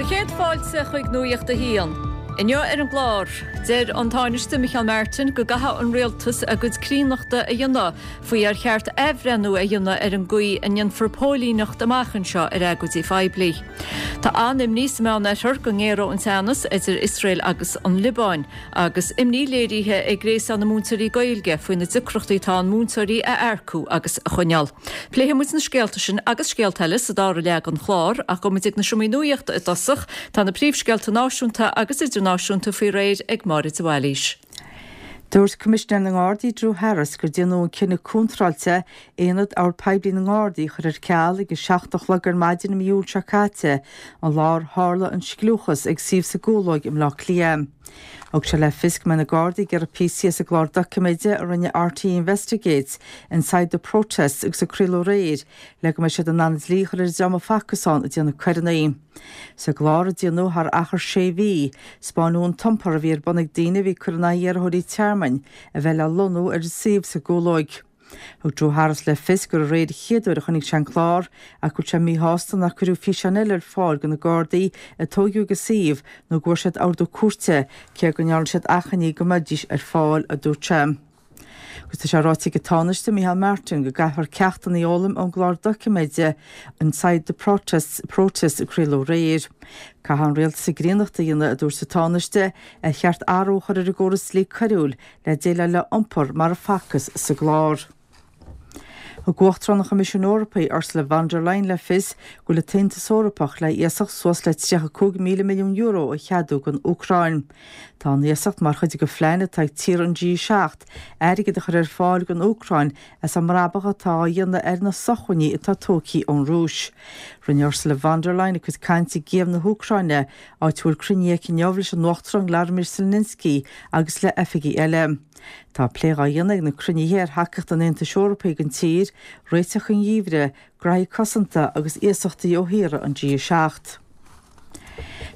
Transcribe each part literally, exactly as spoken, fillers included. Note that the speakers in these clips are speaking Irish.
chéad fáilte chuig Nuacht a hAon. Inniu ar an gclár, deir an Tánaiste Micheál Martin go gcaithfidh an rialtas a gcuid críonnachta a dhéanamh faoi ar cheart athbhreithniú a dhéanamh ar an gcaoi a ndéanfar póilíneacht amach anseo ar agóidí poiblí. Tá an-imní sa Mheánoirthear go ngéaróidh an teannas idir Iosrael agus an Liobáin, agus imní léirithe ag Gréasán na Múinteoirí Gaeilge faoi na deacrachtaí atá ann múinteoirí a earcú agus a choinneáil. Pléifidh muid na scéalta sin agus scéalta eile sa dara leath den chlár ach gabhfaidh muid ag na seomraí nuachta i dtosach, tá na príomhscéalta náisiúnta agus idirnáisiúnta faoi réir ag Máire de Bhailís. Dúirt Coimisinéir na nGardaí Drew Harris gur déanadh an cinneadh contráilte aonad ord poiblí na nGardaí a chur ar ceal ag a seacht a chlog ar maidin i mí Iúil seo caite, an lá ar tharla an scliúchas ag suíomh sa gCúlóig i mBleá Cliath. Thug sé le fios go mbeidh na Gardaí ag iarraidh píosaí as an gclár doiciméide a rinne RTÉ Investigates, Inside the Protests agus a craoladh aréir le go mbeidh siad in ann an dlí a chur ar an dream a facthas ann ag déanamh coireanna. Sa gclár, a déanadh thar achar sé mhí, 'spáineadh an t-iompar a bhí ar bun ag daoine a bhí ag cur in aghaidh iarrthóirí tearmainn a bheith le lonnú ar an suíomh sa gCúlóig. Thug Drew Harris le fios gur aréir an chéad uair a chonaic sé an clár ach go bhfuil sé míshásta nár cuireadh físeáin eile ar fáil de na Gardaí a tóigeadh ag an suíomh nó go bhfuair siad ordú cúirte, cé go ndearna siad achainí go mbeidís ar fáil, a dúirt sé. Agus tá sé ráite ag an Tánaiste Micheál Martin go gcaithfear ceachtanna a fhoghlaim ón gclár doiciméide Inside the Protests, Protests a craoladh aréir. Caithfidh an rialtas a gcríonnacht a dhéanamh, a dúirt an Tánaiste, ar cheart athrú a chur ar an gcóras dlí coiriúil le déileáil le iompar mar a facthas sa gclár. Thug Uachtarán an Choimisiúin Eorpaigh, Ursula von der Leyen le fios go bhfuil an tAontas Eorpach le iasacht suas le tríocha cúig míle milliún euro a cheadú don Úcráin. Tá an iasacht mar chuid de phlean atá ag tíortha an G seacht airgead a chur ar fáil don Úcráin as an mbrabach atá á dhéanamh ar na sócmhainní atá tógtha ón Rúis. Rinne Ursula von der Leyen a cuid cainte i gCív na hÚcráine, áit a bhfuil cruinniú aici inniu leis an Uachtarán Vladimir Zelensky agus le oifigigh eile. Tá plé á dhéanamh ag na cruinnithe ar thacaíocht an Aontais Eorpaigh don tír, réiteach an gheimhridh, graithí cosanta agus iasachtaí ó thíortha an G a seacht.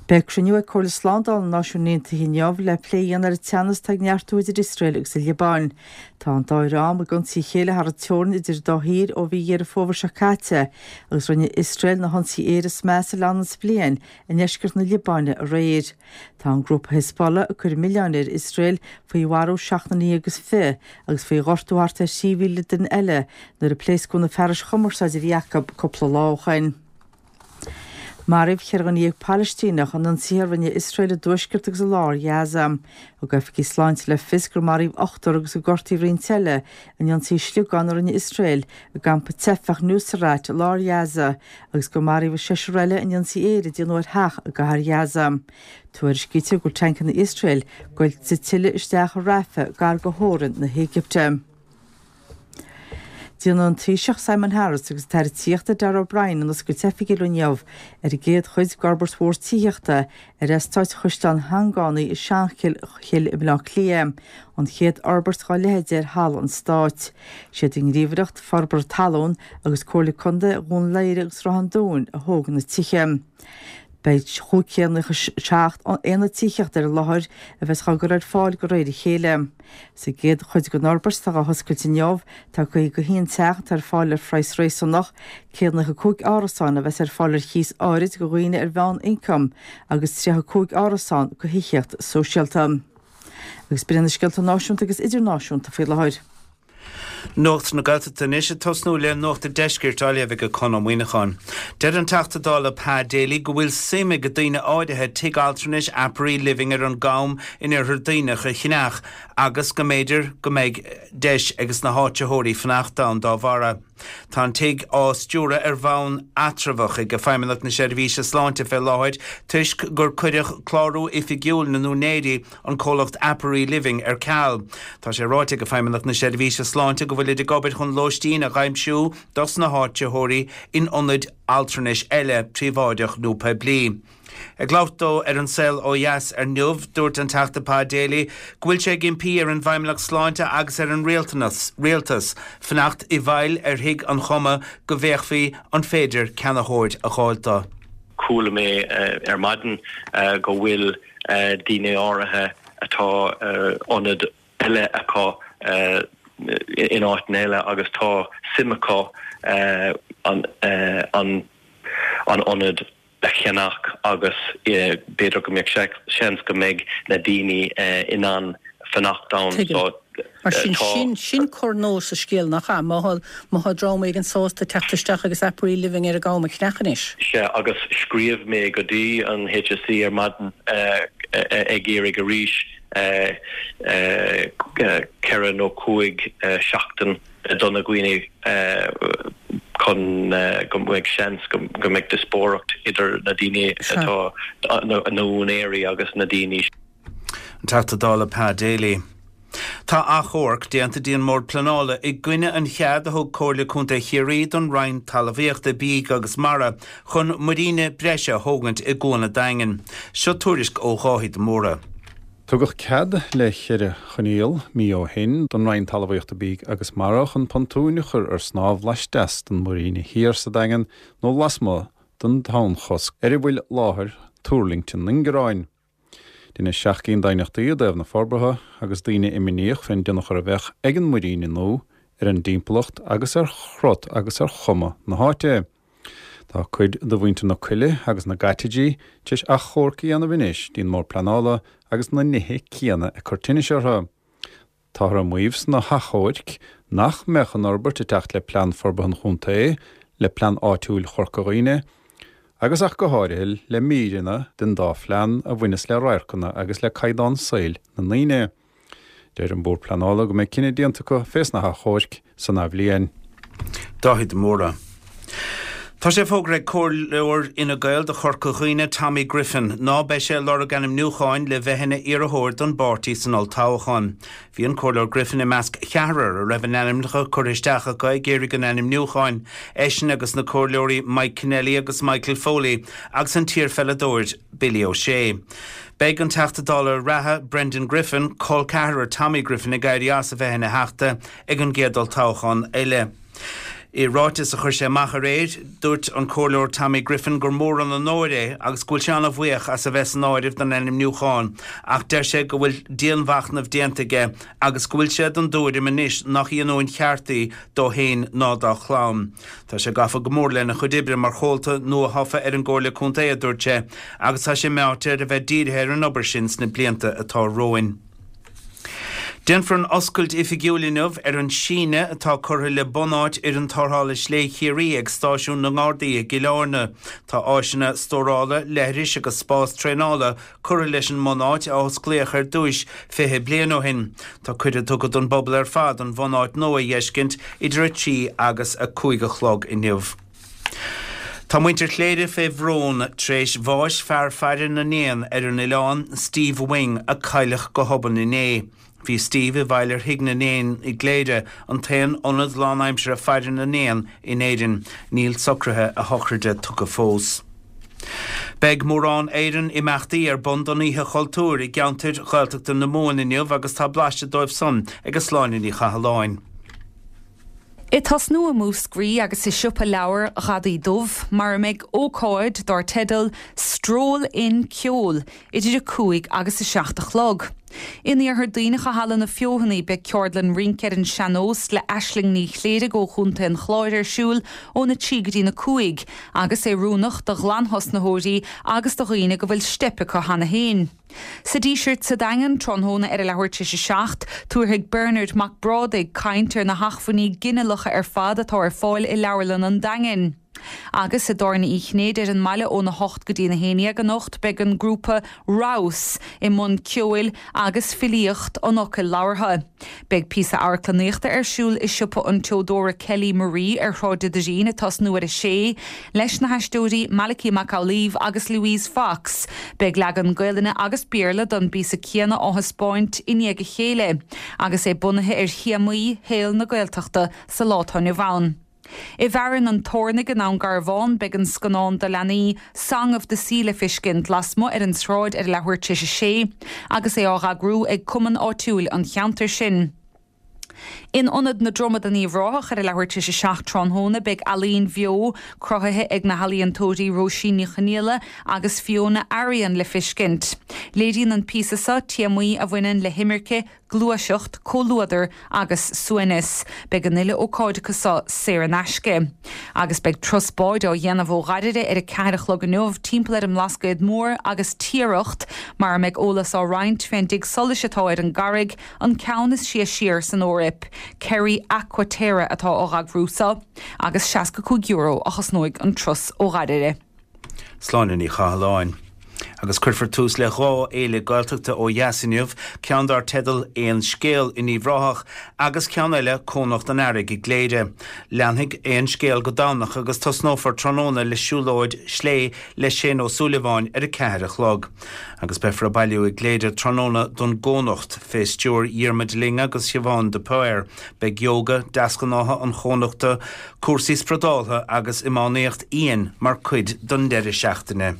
Beidh cruinniú ag Comhairle Slándála na Náisiún Aontaithe inniu le plé a dhéanamh ar an teannas atá ag neartú idir Iosrael agus an Liobáin. Tá an dá dhream ag ionsaí a chéile thar an teorainn idir an dá thír ó mhí Dheireadh Fómhair seo caite agus rinne Iosrael na hionsaithe aeir is measa le leanúint bliain i ndeisceart na Liobáine aréir. Tá an grúpa Hezbollah ag cur an mhilleáin ar Iosrael faoi mharú seacht nduine déag agus fiche agus faoi ghortú thart ar thrí mhíle duine eile nuair a pléascadh na fearais chumarsáide a bhí acu cúpla lá ó shoin. Maraíodh ceithre dhuine dhéag Palaistíneach in ionsaithe a rinne Iosrael i dtuaisceart agus i lár Ghaza. Thug oifigigh sláinte le fios gur maraíodh ochtar agus gur gortaíodh roinnt eile in ionsaí sliogán a rinne Iosrael i gcampa teifeach Nuseirat i lár Ghaza agus gur maraíodh seisear eile in ionsaí aeir a déanadh ar theach i gcathair Ghaza. Tuairiscítear go bhfuil tancanna Iosrael goillte tuilleadh isteach i Rafah gar do theorainn na hÉigipte. Déanfaidh an Taoiseach Simon Harris agus an tAire Tithíochta Darragh O'Brien an oscailt oifigiúil inniu ar an gcéad chuid d'fhorbairt mhór tithíochta ar eastát Chaisleán Sheangánaí i Seanchill i mBaile Átha Cliath, an chéad fhorbairt dá leithéid ar thalamh an stáit. Siad an Ghníomhaireacht Forbartha Talún agus Comhairle Contae Dhún Laoghaire agus Ráth an Dúin a thóg na tithe. Beidh chúig chéad nócha seacht aonad tithíochta ar an láthair a bheas á gcur ar fáil de réir a chéile. Sa gcéad chuid den fhorbairt atá á hoscailt inniu, tá caoga a haon teach atá ar fáil ar phraghas réasúnach, céad nócha cúig árasán a bheas ar fáil ar chíos áirid do dhaoine ar mheán-ioncam agus tríocha cúig árasán do thithíocht sóisialta. Agus b'in iad na scéalta náisiúnta agus idirnáisiúnta faoi láthair. Nuacht na Gaeltachta anois ag tosnú le Nuacht an Deiscirt á léamh ag Conn Ó Muíneacháin. Deir an Teachta Dála Pa Daly go bhfuil suim ag daoine áirithe tigh altranais Aperee Living ar an gCam in Iarthar Duibhneach a cheannach agus go mb'fhéidir go mbeidh deis ag na háitritheoirí fanacht ann dá bharra. Tá an tigh á stiúradh ar bhonn eatramhach ag Feidhmeannacht na Seirbhíse Sláinte fé láthair toisc gur cuireadh clárú oifigiúil na n-úinéirí, an comhlacht Aperee Living, ar ceal. Tá sé ráite ag Feidhmeannacht na Seirbhíse Sláinte go bhfuilid ag obair chun lóistín a dh'aimsiú dos na háitritheoirí in ionaid altranais eile, príobháideach nó poiblí. Ag labhairt dó ar An Saol Ó Dheas inniu, dúirt an Teachta Pa Daly go bhfuil sé ag impí ar an bhFeidhmeannacht Sláinte agus ar an rialtanas, rialtas, fanacht i bhfeighil ar Thigh an Choma go bhféachfaí an féidir ceannaitheoir a dh'fháil dó. Chuala mé ar maidin go bhfuil daoine áirithe atá ionad eile acu in áiteanna eile agus tá suim acu an an ionad a cheannach agus b'fhéidir go mbeidh seans go mbeidh na daoine in ann fanacht ann. So, Mar sin sin sin cor nua sa scéal nach ea má má tá dream éigin sásta teacht isteach agus Aperee Living ar an gCam a cheannach anois. Sea agus scríobh mé go dtí an HSE ar maidin ag iarraidh arís ceithre nó cúig seachtain do na daoine chun go mbeidh seans go mbeidh díospóireacht idir na daoine atá na húinéirí agus na daoine. An Teachta Dála Pa Daly. Tá achomharc déanta dtí an mBord Pleanála i gcoinne an chead a thug Comhairle Contae Chiarraí don Roinn Talmhaíochta Bídh agus Mara chun muiríne breise a thógaint i gCuan an Daingin. Seo tuairisc ó Dháithí de Mórdha. Tugadh cead le ceithre choinníoll mí ó shin don Roinn Talmhaíochta Bídh agus Mara chun pontúin a chur ar snámh laisteas den Mhuiríne Thiar sa Daingean nó lasmuigh den tonnchosc ar a bhfuil láthair tuirlingte na n-ingearáin. Deineadh seacht gcinn d'aighneachtaí i dtaobh na forbartha agus daoine imníoch fén dtionchar a bheadh ag an muiríne nua ar an dtimpeallacht agus ar chrot agus ar chuma na háite. Tá cuid de mhuintir na Coille agus na gCaitidí tar éis achomharc a dhéanamh anois dtí'n mBord Pleanála agus na nithe céanna ag cur tinnis orthu. Táthar ag maíomh sna hachomhairc nach mbeadh an fhorbairt ag teacht le plean forbartha an chontae, le plean áitiúil Chorca Dhuibhne, agus ach go háirithe le míreanna den dá phlean a bhaineas le radharcanna agus le caighdeán saoil na ndaoine. Deir an Bord Pleanála go mbeidh cinneadh déanta acu fés na hachomhairc san athbhliain. Dáithí de Mórdha. Tá sé fógartha ag Comhairleoir Fhine Gael do Chorca Dhuibhne Tommy Griffin ná beidh sé ag lorg ainmniúcháin le bheith ina iarrthóir don bpáirtí san olltoghchán. Bhí an Comhairleoir Griffin i measc cheathrar a raibh a n-ainmneacha curtha isteach acu ag iarraidh an ainmniúcháin, eisean agus na Comhairleoirí Mike Kennelly agus Michael Foley agus an t-iarpheileadóir Billy O'Shea. Beidh an Teachta Dála reatha Brendan Griffin, col ceathrar Tommy Griffin ag éirí as a bheith ina theachta ag an gcéad olltoghchán eile. I ráiteas a chuir sé amach aréir, dúirt an Comhairleoir Tommy Griffin gur mór an onóir é agus go bhfuil sé an-bhuíoch as a bheith san áireamh don ainmniúchán, ach deir sé go bhfuil dianmhachnamh déanta aige agus go bhfuil sé den dtuairim anois nach í an uain cheart í dó féin ná dá chlann. Tá sé gafa go mór lena chuid oibre mar chomhalta nuathofa ar an gComhairle Contae, a dúirt sé, agus tá sé meáite ar a bheith dírithe ar an obair sin sna blianta atá romhainn. Déanfar an oscailt oifigiúil inniu ar an síneadh atá curtha le bunáit Fhoireann Tarrthála Slé Chiarraí ag Stáisiún na nGardaí i gCill Airne. Tá áiseanna stórála, leithris agus spás traenála curtha leis an mbunáit a osclaíodh ar dtúis fiche bliain ó shin. Tá cuireadh tugtha don bpobal ar fad an bhunáit nua a fheiscint idir a trí agus a cúig a chlog inniu. Tá muintir Chléire fé bhrón tar éis bháis fear faire na n-éan ar an oileán, Steve Wing, a cailleadh go hobann inné. Bhí Steve i bhfeighil ar Thigh na nÉan i gCléire, an t-aon ionad lánaimseartha faire na n-éan in Éirinn. Níl socruithe a shochraide tugtha fós. Beidh mórán Éireann imeachtaí ar bun don Oíche Chultúir i gceantair Ghaeltachta na Mumhan inniu agus tá blaiseadh dóibh san ag Sláine Ní Chathalláin. Ag tosnú i Múscraí agus i siopa leabhar Ghadaí Dubh, mar a mbeidh ócáid dar teideal Stroll in Ceol idir a cúig agus a seacht a chlog. In Iarthar Duibhneach i Halla na Feothanaí beidh ceardlann rince ar an sean-nós le Aisling Ní Chléirigh ó Chontae an Chláir ar siúl óna trí go dtína cúig agus é oiriúnach do ghlanthosnaitheoirí agus do dhaoine go bhfuil steip acu cheana féin. Sa Díseart sa Daingean, tráthnóna ar a leathuair tar éis a seacht, tabharfaidh Bernard Mac Brádaigh caint ar na hacmhainní ginealacha ar fad atá ar fáil i Leabharlann an Daingin. Agus i dTábhairne Uí Chinnéide ar an mbaile óna hocht go dtína haon dhéag anocht beidh an grúpa Rouse i mbun ceoil agus filíocht an fhocail labhartha. Beidh píosa amharclannaíochta ar siúl i siopa an tseodóra Kelly Marie ar Shráid an Doirín ag tosnú ar a sé, leis na haisteoirí Malachy Mac Amhlaoibh agus Louise Fox. Beidh leagan Gaelainne agus Béarla don bpíosa céanna á thaispeáint i ndiaidh a chéile, agus é bunaithe ar théamaí shaol na Gaeltachta sa lá atá inniu ann. I bhFearann an Tornaigh i nDún Garbhán beidh an scannán do leanaí Song of the Sea le feiscint lasmuigh ar an tsráid ar a leathuair tar éis a sé, agus é á eagrú ag cumann áitiúil an cheantair sin. In Ionad na Dromad in Uíbh Ráthach ar a leathuair tar éis a seacht tráthnóna beidh ealaín bheo cruthaithe ag na healaíontóirí Róisín Ní Chonaola agus Fiona Arian le feiscint. Léiríonn an píosa seo téamaí a bhaineann le himirce, gluaiseacht, comhluadar agus suaimhneas. Beidh an uile ócáid acu seo saor in aisce. Agus beidh turas báid á dhéanamh ó Ghairire ar a ceathair a chlog inniu timpeall ar an mBlascaod Mór agus Tiaracht, mar a mbeidh eolas á roinnt fén dtigh solais atá ar an gcarraig, an ceann is sia siar san Eoraip. Kerry Aquaterra atá á eagrú seo, agus seasca cúig euro a chosnóidh an turas ó Ghairire. Sláine Ní Chathalláin. Agus cuirfear tús le dhá fhéile Gaeltachta ó dheas inniu, ceann dar teideal Aon Scéal in Uíbh Ráthach agus ceann eile Cónocht an Earraigh i gCléire. Leanfaidh Aon Scéal go Domhnach agus tosnófar tráthnóna le siúlóid slé le Shane Ó Súilleabháin ar a ceathair a chlog. Agus beifear ag bailiú i gCléire tráthnóna don gCónocht fé stiúir Dhiarmuid Ling agus Siobhán de Paor. Beidh yoga, deasghnátha an Chónochta, cúrsaí spradáltha agus iománaíocht fhiáin mar chuid den deireadh seachtaine.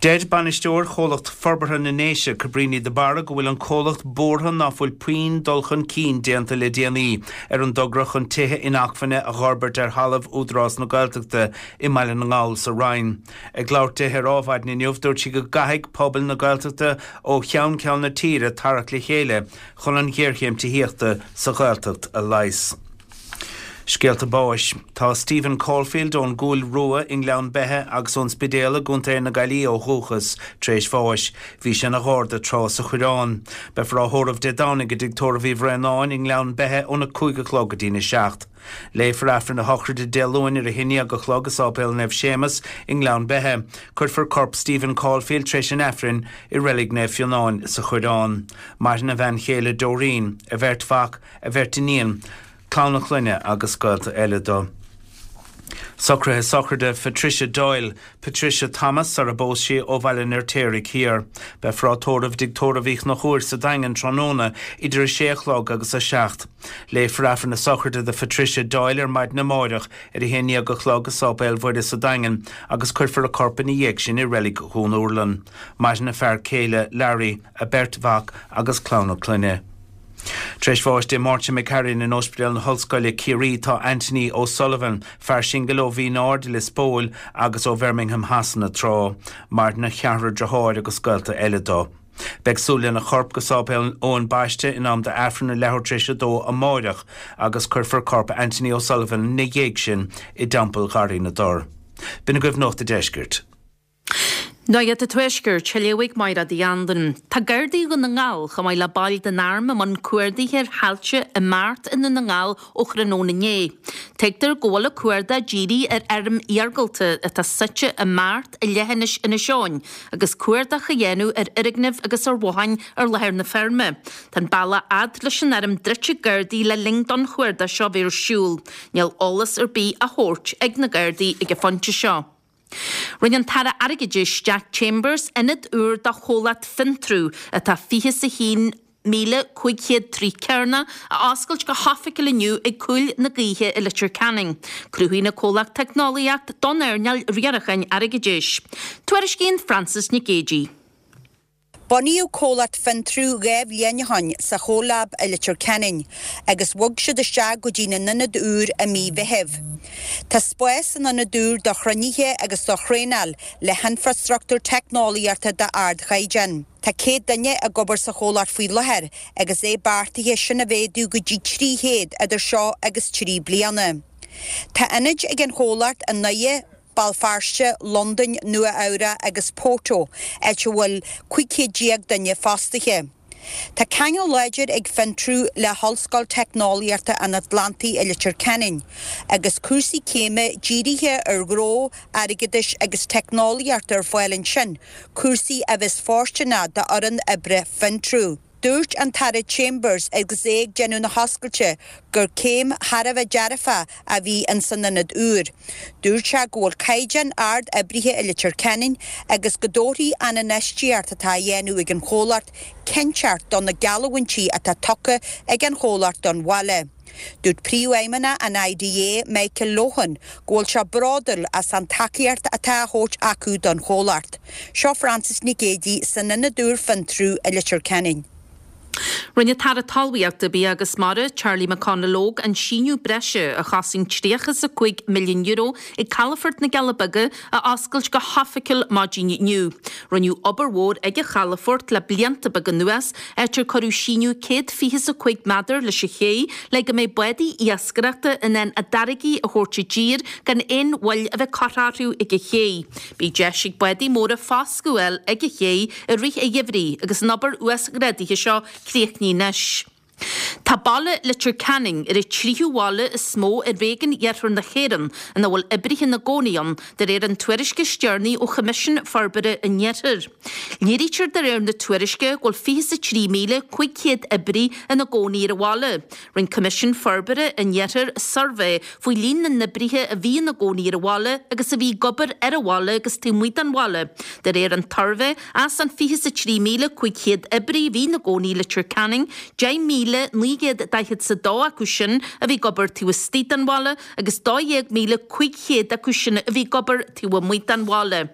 Deir bainisteoir chomhlacht forbartha na nDéise Cabríní de Barra go bhfuil an comhlacht buartha ná fuil puinn dul chun cinn déanta le déanaí ar an dtogra chun tithe inacmhainne a fhorbairt ar thalamh Údarás na Gaeltachta i mBaile na nGall sa Rinn. Ag labhairt di ar Adhmhaidin inniu dúirt sí go gcaithfidh pobal na Gaeltachta ó cheann ceann na tíre tarrac le chéile chun an ghéarchéim tithíochta sa Ghaeltacht a leigheas. Scéalta báis. Tá Stephen Caulfield ón gCúil Rua i nGleann Beithe agus ón Spidéal i gContae na Gaillimhe ó dhúchas tar éis bháis. Bhí sé ina gharda tráth sa Choireán. Beifear á thórramh Dé Domhnaigh i dtigh tórraimh Uí Bhraonáin i nGleann Beithe óna cúig a chlog go dtína seacht. Léifear Aifreann a shochraide Dé Luain ar a haon déag a chlog i Sáipéal Naomh Séamus i nGleann Beithe. Cuirfear corp Stephen Caulfield tar éis an Aifrinn i Reilig Naomh Fionán sa Choireán. Maireann a bhean chéile Doreen, a bheirt mhac, a bheirt iníon, clann a chlainne agus gaolta eile dó. Socruithe sochraide Patricia Doyle, Patricia Thomas sar a bpós sí ó Bhaile an Fheirtéaraigh Thiar. Beifear á tórramh i dtigh tórraimh Uí Chonchúir sa Daingean tráthnóna idir a sé a chlog agus a seacht. Léifear Aifreann na sochraide do Patricia Doyle ar maidin amáireach ar a haon déag a chlog i Sáipéal Mhuire sa Daingean agus cuirfear a corp ina dhiaidh sin i reilig Dhún Úrlann. Maireann a fear céile Larry, a beirt mhac agus clann a clainne. Tar éis bháis Dé Máirt seo imigh in Ospidéal na hOllscoile Ciarraí tá Anthony O'Sullivan, fear singil ó Mhín Aird Lios Póil agus ó Bhirmingham Shasana tráth, maireann a cheathrar deartháir agus gaolta eile dó. Beidh súil lena chorp go Sáipéal Eoin Baiste in am d'Aifreann a leathuair tar éis a dó amáireach agus cuirfear corp Anthony O'Sullivan ina dhiaidh sin i dTeampall Gharraí na dTor. B'in agaibh Nuacht an Deiscirt. Nuacht an Tuaiscirt, á léamh ag Máire Uí Anluain. Tá Gardaí Dhún na nGall, chomh maith le baill den Arm i mbun cuardaithe ar thailte i mBeart i nDún na nGall ó thráthnóna inné. Tuigtear go bhfuil an cuardach dírithe ar fheirm iargúlta atá suite i mBeart i leithinis Inis Eoghain agus cuardach á dhéanamh ar fhoirgnimh agus ar bhotháin ar láthair na feirme. Tá an bealach fhad leis an fheirm druidte ag Gardaí le linn don chuardach seo bheith ar siúl. Níl eolas ar bith á thabhairt ag na Gardaí ag an phointe seo. Rinne an tAire Airgeadais Jack Chambers ionad úr do chomhlacht Fintru atá fiche is a haon míle cúig chéad troigh cearnach a oscailt go hoifigiúil inniu ag Cúil na Gaoithe i Leitir Ceanainn. Cruthaíonn an comhlacht teicneolaíocht don earnáil riaracháin airgeadais. Tuairiscíonn Frances Nic Géadaigh. Bunaíodh comhlacht Fintru dhá bhliain ó shin sa CoLab i Leitir Ceanainn agus bhog siad isteach go dtí a n-ionad úr i mí Mheithimh. Tá spás san ionad úr do chruinnithe agus do thraenáil le hinfreastruchtúr teicneolaíochta d'ardchaighdeán. Tá céad duine ag obair sa chomhlacht faoi láthair agus é beartaithe sin a mhéadú go dtí trí chéad idir seo agus trí bliana. Tá ionaid ag an chomhlacht i nDoire, Béal Feirste, Londain, Nua Eabhrac agus Porto, áit a bhfuil cúig chéad déag duine fostaithe. Tá ceangal láidir ag Fintru le hOllscoil Teicneolaíochta an Atlantaigh i Leitir Ceanainn, agus cúrsaí céime dírithe ar ghnó, airgeadais agus teicneolaíocht ar fáil ansin, cúrsaí a bheas fóirsteanach d'fhoireann oibre Fintru. Dúirt an tAire Chambers agus é ag déanamh na hoscailte gur céim thar a bheith dearfach a bhí in san ionad úr. Dúirt sé go bhfuil caighdeán ard oibrithe i Leitir Ceanainn agus go dtabharfaidh an infheistíocht atá á dhéanamh ag an chomhlacht cinnteacht do na geallúintí atá tugtha ag an chomhlacht don bhaile. Dúirt Príomhfheidhmeannach an IDA Michael Lohan go bhfuil sé bródúil as an tacaíocht atá á thabhairt acu don chomhlacht. Seo Frances Nic Géadaigh san ionad úr Fintru i Leitir Ceanainn. Rinne an tAire Talmhaíochta, Bia agus Mara, Charlie McConalogue, an síneadh breise a chosain tríocha is a cúig milliún euro ag Calafort na gCealla Beaga a oscailt go hoifigiúil maidin inniu. Rinneadh obair mhór ag an chalafort le blianta beaga anuas, áit ar cuireadh síneadh céad fiche is a cúig méadar leis an ché le go mbeidh bádaí iascaireachta in ann a dtáirgí a thabhairt i dtír gan aon mhoill a bheith curtha orthu ag an ché. Beidh deis ag bádaí móra foscadh a fháil ag an ché i rith an gheimhridh agus an obair uasghrádaithe seo críochnaithe anois. Tá baile Leitir Ceanainn ar an tríú bhaile is mó i réigiún Iarthar na hÉireann ina bhfuil oibrithe ina gcónaí ann, de réir an tuairisce is deireanaí ó Choimisiún Forbartha an Iarthair. Léirítear de réir na tuairisce go bhfuil fiche is a trí míle cúig chéad oibrí ina gcónaí ar an bhaile. Rinne Coimisiún Forbartha an Iarthair suirbhé faoi líon na n-oibrithe a bhí ina gcónaí ar an bhaile agus a bhí ag obair ar an bhaile agus taobh amuigh den bhaile. De réir an tsuirbhé, as an fiche is a trí míle cúig chéad oibrí a bhí ina gcónaí i Leitir Ceanainn, deich míle naoi gcéad daichead is a dó acu sin a bhí ag obair taobh istigh den bhaile agus dó dhéag míle cúig chéad acu sin a bhí ag obair taobh amuigh den bhaile.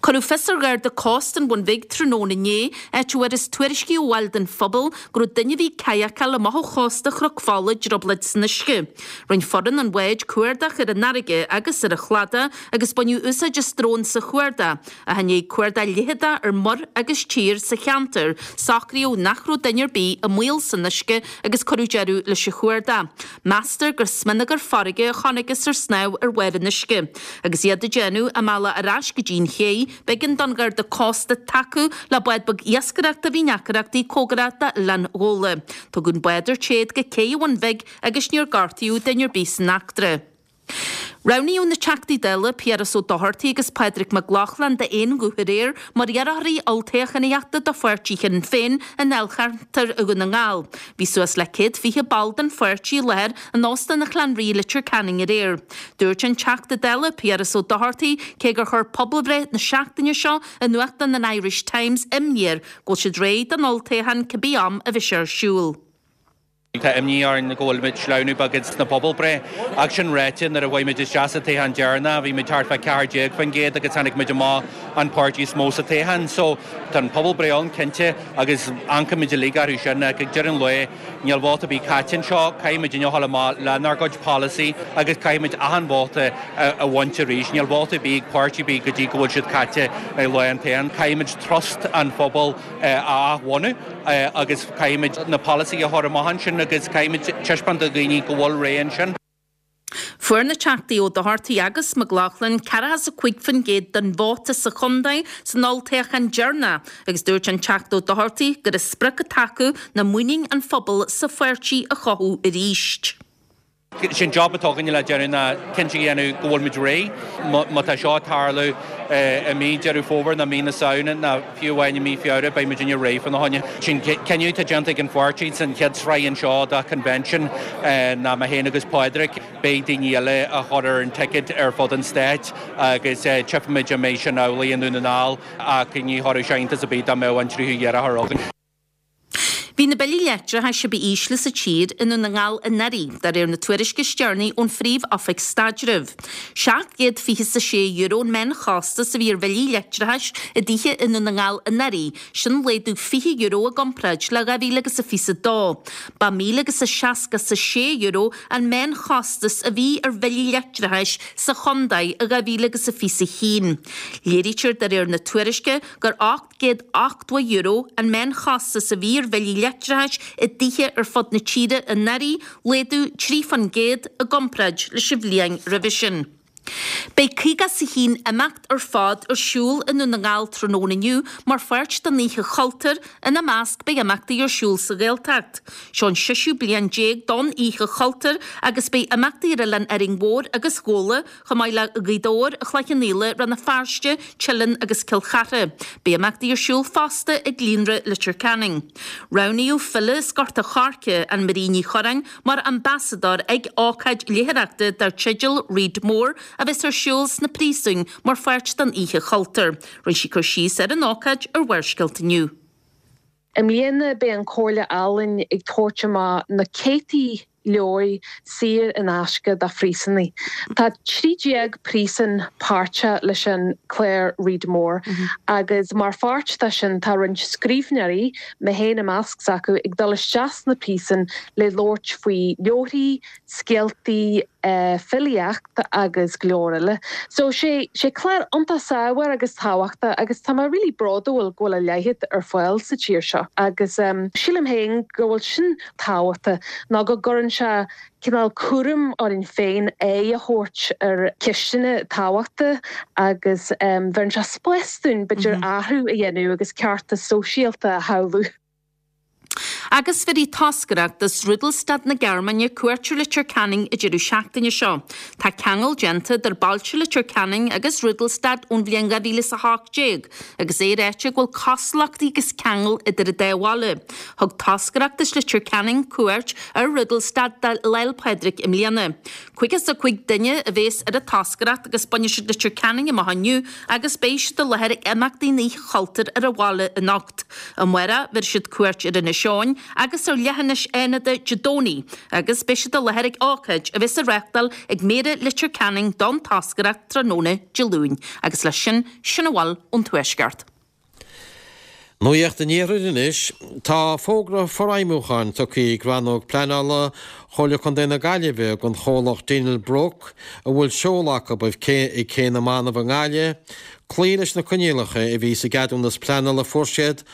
Cuireadh fios ar Gharda Cósta an Bhun Bhig tráthnóna inné, áit a bhfuarthas tuairiscí ó bhaill den phobal go raibh duine a bhí ag cadhacáil amach ó chósta Chnoc Fola i dtrioblóid san uisce. Rinne foireann an bháid cuardach ar an fharraige agus ar an chladach agus baineadh úsáid as drón sa chuardach. Ach i ndiaidh cuardach leitheadach ar muir agus tír sa cheantar, socraíodh nach raibh duine ar bith i mbaol san uisce agus cuireadh deireadh leis an chuardach. Meastar gur smionagar farraige a chonacthas ar snámh ar bharr an uisce. Agus iad ag déanamh a mbealach ar ais go dtí an ché, b'éigean don Gharda Cósta tacú le bád beag iascaireachta a bhí i ndeacrachtaí cóngarach d'Oileán Ghabhla. Tugadh an bád ar téad go cé an Bhun Bhig agus níor gortaíodh duine ar bith san eachtra. Roghnaíodh na Teachtaí Dála Piaras Ó Dochartaigh agus Pádraig Mac Lochlainn d'aon ghuth aréir mar iarrthóirí olltoghchánaíochta do pháirtí Shinn Féin i ndáilcheantar Dhún na nGall. Bhí suas le céad fiche ball den pháirtí i láthair in Óstán an Chlann Rí i Leitir Ceanainn aréir. Dúirt an Teachta Dála Piaras Ó Dochartaigh cé gur chuir pobalbhreith na seachtaine seo i nuachtán an Irish Times imní air go bhfuil siad réidh don olltoghchán cibé am a bheidh sé ar siúl. Tá imní orainn go bhfuil muid sleamhnú beagán sna pobalbhreith ach sin ráite nuair a chuaigh muid isteach sa toghchán deireanach bhí muid thart fá ceathair déag faoin gcéad agus tháinig muid amach an páirtí is mó sa toghchán. So tá an pobalbhreith ann cinnte agus amharcaimid uilig orthu sin ach ag deireadh an lae níl vóta ar bith caite anseo, caithfidh muidinne a dhul amach lenár gcuid polasaí agus caithfidh muid achan vóta a bhaint arís. Níl vóta ar bith ag páirtí ar bith go dtí go bhfuil siad caite ag lá an toghcháin. Caithfidh muid trust an phobail a athbhunú agus caithfimid na polasaithe a chur amach ansin agus caithfimid taispeáint do dhaoine go bhfuil ré ansin. Fuair na Teachtaí Ó Dochartaigh agus Mac Lochlainn ceathracha is a cúig faoin gcéad den vóta sa chontae san olltoghchán deireanach agus dúirt an Teachta Ó Dochartaigh gur an sprioc atá acu ná muinín an phobail sa pháirtí a chothú arís. Sé an job atá againne le déanamh ná cinnte a dhéanamh go bhfuil muid réidh. Má tá seo ag tarlú i mí Deireadh Fómhair nó mí na Samhna nó fiú amháin i mí Feabhra beidh muidinne réidh fána choinne. Sé'n cinneadh atá déanta ag an pháirtí san chéad sraith anseo de convention ná mé féin agus Pádraig, beidh daoine eile a chur ar an ticket ar fud an stáit agus tchífimid an mbeidh sin amhlaidh i nDún na nGall ach ní chuirfeadh sé iontas ar bith dá mbeadh an tríú iarrthóir againn. Bhí na billí leictreachais a ba ísle sa tír i nDún na nGall anuraidh, de réir na tuairisce is deireanaí ón Phríomh-Oifig Staidrimh. seacht gcéad fiche is a sé euro an meánchostas a bhí ar bhillí leictreachais i dtithe i nDún na nGall anuraidh, sin laghdú fiche euro i gcomparáid le dhá mhíle agus a fiche a dó. Ba míle agus a seasca is a sé euro an meánchostas a bhí ar bhillí leictreachais sa chontae i dhá mhíle agus a fiche a haon. Léirítear de réir na tuairisce gur ocht gcéad ochtó euro an meánchostas a bhí ar bhillí leictreachais i dtithe ar fud na tíre anuraidh, laghdú trí faoin gcéad i gcomparáid leis an bhliain roimhe sin. Beidh caoga is a haon imeacht ar fad ar siúl i nDún na nGall tráthnóna inniu mar pháirt den Oíche Chultúir, ina measc beidh imeachtaí ar siúl sa Ghaeltacht. Seo an seisiú bliain déag don Oíche Chultúir agus beidh imeachtaí ar Oileán Árainn Mhór agus Ghabhla, chomh maith le Gaoth Dobhair, Cloich Cheann Fhaola, Rann na Feirste, Teileann agus Cill Chartha. Beidh imeachtaí ar siúl fosta ag Líonra Leitir Ceanainn. Roghnaíodh file as Gort a' Choirce, Ann Marie Ní Churráin, mar ambasadóir ag ócáid léitheoireachta dar teideal Read More a bheas ar siúl sna príosúin mar pháirt den Oíche Chultúir. Rinne sí cur síos ar an ócáid ar Bharrscéalta inniu. I mbliana beidh an Chomhairle Ealaíon ag tabhairt amach na céadtaí leabhair saor in aisce do phríosúnaigh. Tá trí déag príosún páirteach leis an clár Read More agus mar pháirt de sin tá roinnt scríbhneoirí, mé féin i measc s'acu, ag dul isteach sna príosúin le labhairt faoi leabharthaí, scéaltaí, filíocht agus go leor eile. So sé sé clár iontach saibhir agus tábhachtach agus tá mé really bródúil go bhfuil a leithéid ar fáil sa tír seo agus sílim féin go bhfuil sin tábhachtach ná go gcuireann sé cineál cúram orainn féin aghaidh a thabhairt ar cheisteanna tábhachtacha agus bheireann sé spás dúinn b'fhéidir athrú a dhéanamh agus ceartas sóisialta a shamhlú. Agus bhéarfaidh toscaireacht as Rudolstadt na Gearmáine cuairt ar Leitir Ceanainn an deireadh seachtaine seo. Tá ceangal déanta idir bailte Leitir Ceanainn agus Rudolstadt ón bhliain dhá mhíle is a hocht déag, agus é ráite go bhfuil cosúlachtaí agus ceangal idir an dá bhaile. Thug toscaireacht as Leitir Ceanainn cuairt ar Rudolstadt do Lá 'le Pádraig i mbliana. Caoga is a cúig duine a bhéas ar an toscaireacht agus bainfidh siad Leitir Ceanainn amach inniu agus beidh siad i láthair ag imeachtaí na hOíche Chultúir ar an bhaile anocht. Amárach bhéarfaidh siad cuairt ar Inis Eoghain agus ar leithinis Fhánada Dé Domhnaigh agus beidh siad i láthair ag ócáid a bheas á reáchtáil ag Méara Leitir Ceanainn don toscaireacht tráthnóna Dé Luain. Agus leis sin, sin a bhfuil ón Tuaisceart. Nuacht an Iarthair anois. Tá fógra forfheidhmiúcháin tugtha ag Rannóg Pleanála Chomhairle Contae na Gaillimhe don chomhlacht Dinel Brook, a bhfuil seoladh acu ag Cé na mBanbh i nGaillimh, cloí leis na coinníollacha a bhí sa gceadúnas pleanála a fuair siad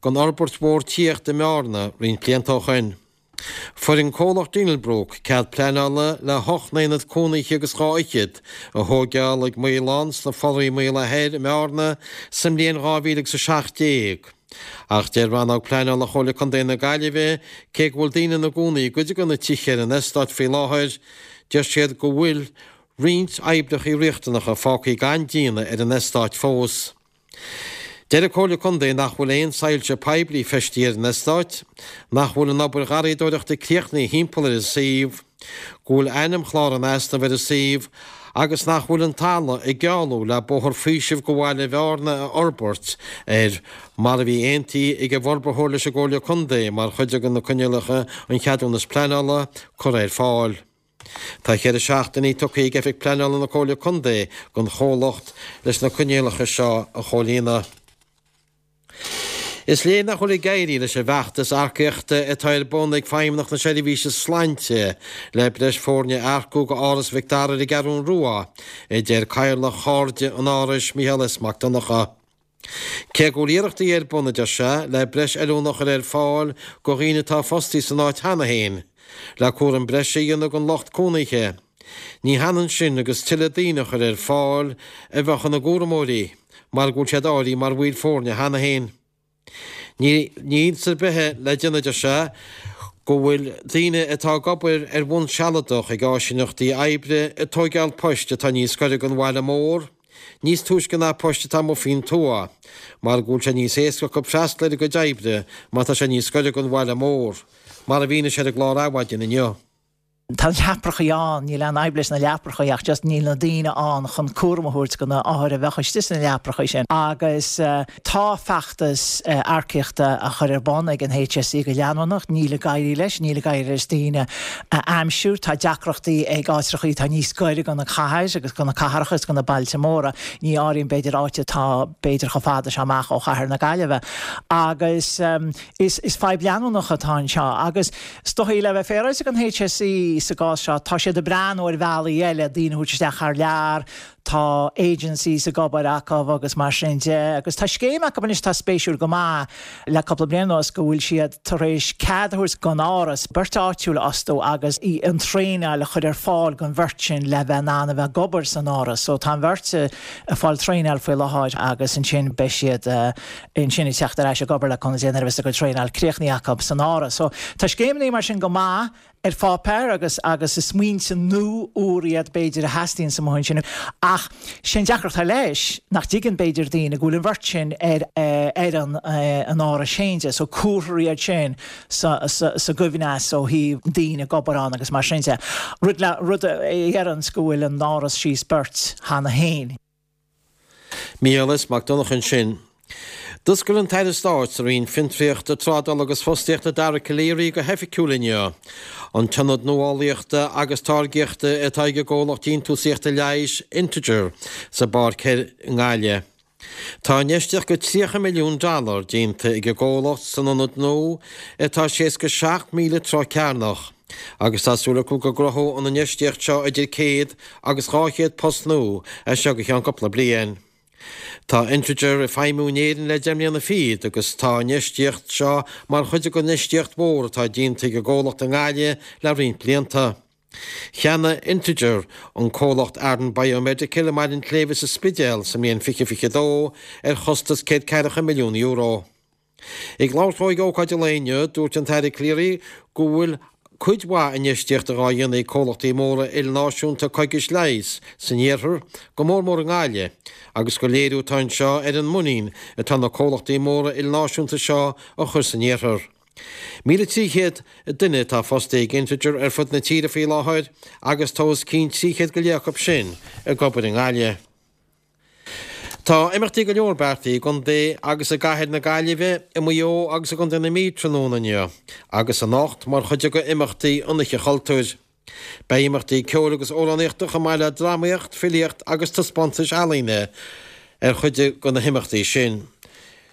don fhorbairt mhór tithíochta i mBearna roinnt blianta ó shin. Fuair an comhlacht Dinel Brook cead pleanála le hocht n-aonad cónaithe agus dhá fhichead a thóigeáil ag Maolán sna Foraí Maola Thoir i mBearna sa mbliain dhá mhíle agus a seacht déag. Ach deir Rannóg Pleanála Chomhairle Contae na Gaillimhe cé go bhfuil daoine ina gcónaí i gcuid de na tithe ar an eastát faoi láthair, deir siad go bhfuil roinnt oibreacha riachtanacha fágtha gan déanamh ar an eastát fós. Deir an Chomhairle Contae nach bhfuil aon soilse poiblí feistithe ar an eastát, nach bhfuil an obair gharraíodóireachta críochnaithe thimpeall ar an suíomh, go bhfuil ainmchlár in easnamh ar an suíomh agus nach bhfuil an talamh ag gealú le bóthar faoisimh go bhaile Bhearna a fhorbairt air mar a bhí aontaithe ag an bhforbarthóir leis an gComhairle Contae mar chuid de na coinníollacha an cheadúnas pleanála curtha ar fáil. Tá ceithre seachtainí tugtha ag Oifig Pleanála na Comhairle Contae don chomhlacht leis na coinníollacha seo a chomhlíonadh. Is léir nach bhfuil ag éirí leis an bhfeachtas earcaíochta atá ar bun ag Feidhmeannacht na Seirbhíse Sláinte le breis foirne a earcú go Áras Mhic Dara ar an gCeathrú Rua, a deir Cathaoirleach Chairde an Árais, Micheál S. Mac Donncha. Cé go bhfuil iarrachtaí ar bun, a deir sé, le breis oiliúna a chur ar fáil go dhaoine atá fostaí san áit cheana féin, le cúram breise a dhéanamh don lucht cónaithe, ní hionann sin agus tuilleadh daoine a chur ar fáil a bheadh ina gcúramóirí, mar go bhfuil siad áirithe mar bhaill foirne cheana féin. Ní iontas ar bith é le déanamh, a deir sé, go bhfuil daoine atá ag obair ar bhonn sealadach ag áisíneachtaí oibre ag tóigeáil poist atá níos gaire don bhaile mór, níos túisce ná poist atá amuigh faoin tuath, mar go bhfuil sé níos éasca acu freastal ar a gcuid oibre má tá sé níos gaire don bhaile mór, mar a mhínigh sé ar an gclár Adhmhaidin inniu. Tá na leaprachaí ann, níl aon fhadhb leis na leaprachaí ach just níl na daoine ann chun cúram a thabhairt do na hothair a bheadh istigh sna leaprachaí sin. Agus tá feachtas earcaíochta á chur ar bun ag an HSE go leanúnach, níl ag éirí leis, níl ag éirí leis daoine a aimsiú. Tá deacrachtaí ag áitreachaí atá níos gaire do na cathair agus do na cathracha is do na bailte móra, ní áirím b'fhéidir áit atá b'fhéidir chomh fada seo amach ó chathair na Gaillimhe. Agus is is fadhb leanúnach atá anseo agus is dóichí le bheith féaráilte don HSE sa gcás seo, tá siad ag breathnú ar bhealaí eile daoine a thabhairt isteach thar lear, tá agencies ag obair acu agus mar sin de agus tá scéim acu anois atá spéisiúil go maith le cúpla bliain anuas go bhfuil siad tar éis cead a thabhairt don Áras beirt áitiúil a fhostú agus an traenáil a chur ar fáil don bheirt sin le bheith in ann a bheith ag obair san Áras. So tá an bheirt ag fáil traenáil faoi láthair agus ansin beidh siad ansin ag teacht ar ais ag obair le Conradh nuair a bheas a gcuid traenáil críochnaithe acu san Áras. So tá scéimeanna mar sin go maith ar pháipéar agus agus is smaointe nua úr iad b'fhéidir a theastaíonns amuigh ansin ach sé an deacracht atá leis nach dtuigeann b'fhéidir daoine go bhfuil an bheirt sin ar fhoireann an Árais féin de so cuirfear iad sin sa sa sa gcoibhneas ó thaobh daoine ag obair ann agus mar sin de. Rud le rud a dheireanns go bhfuil an Áras síos beirt cheana féin. Micheál S. Mac Donncha ansin. D'oscail an tAire Stáit sa Roinn Fiontraíochta, Trádála agus Fostaíochta Dara Calleary go hoifigiúil inniu an tIonad Nuálaíochta agus Táirgíochta atá ag an gcomhlacht déantúsaíochta leighis Integer sa bPáirc Thoir i nGaillimh. Tá infheistíocht de tríocha milliún dollar déanta ag an gcomhlacht san ionad nua atá seasca seacht míle troigh cearnach agus tá súil acu go gcruthóidh an infheistíocht seo idir céad agus dhá chéad post nua as seo go ceann cúpla bliain. Tá Integer ag feidhmiú in Éirinn le deich mbliana fichead agus tá an infheistíocht seo mar chuid den infheistíocht mhór atá déanta ag an gcomhlacht i nGaillimh le roinnt blianta. Cheannaigh Integer an comhlacht Arden Biomedical i mBaile an tSléibhe sa Spidéal sa mbliain fiche fiche dó ar chostas céad ceathracha milliún euro. Ag labhairt dó ag ócáid an lae inniu, dúirt an tAire Calleary go bhfuil cuid mhaith infheistíochta dhá dhéanamh ag comhlachtaí móra ilnáisiúnta coigis leighis san iarthar, go mór mór i nGaillimh, agus gur léiriú atá anseo ar an muinín atá na comhlachtaí móra ilnáisiúnta seo a chur san iarthar. Míle trí chéad duine atá fostaithe ag Integer ar fud na tíre faoi láthair agus tá os cionn trí chéad go leith acu sin ag obair i nGaillimh. Tá imeachtaí go leor beartaithe i gcontae agus i gcathair na Gaillimhe, i Maigh Eo agus i gcontae na Mí tráthnóna inniu agus anocht mar chuid de imeachtaí an Oíche Chultúir. Beidh imeachtaí ceoil agus amhránaíochta chomh maith le drámaíocht, filíocht agus taispeántais ealaíne ar chuid de na himeachtaí sin.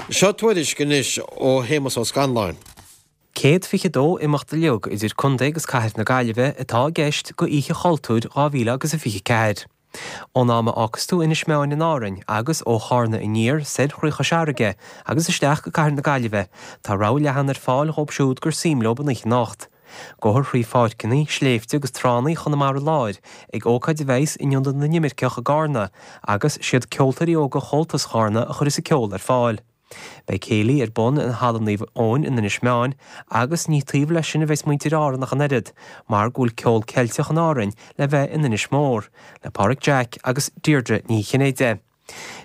Seo tuairisc anois ó Shéamus Ó Scanláin. Céad fiche dó imeacht uilig idir contae agus cathair na Gaillimhe atá i gceist go Oíche Chultúir dhá mhíle agus a fiche ceathair. Ón am a fhágfas tú Inis Meáin in Árainn agus ó Chárna aniar soir thrí Chois Fharraige agus isteach go cathair na Gaillimhe, tá rogha leathan ar fáil dhóibh siúd gur suim leo an oíche anocht. Gabhfar thrí pháirceanna, sléibhte agus tránna Chonamara Láir ag ócáid a bheas in Ionad na nImirceach i gCarna agus siad ceoltóirí óga Chomhaltas Charna a chuirfeas an ceol ar fáil. Beidh céilí ar bun in Halla Naomh Eoin in Inis Meáin agus ní taobh leis sin a bheas muintir Árann ach an oiread, mar go bhfuil ceol Ceilteach in Árainn le bheith in Inis Mór, le Páraic Jack agus Deirdre Ní Chinnéide.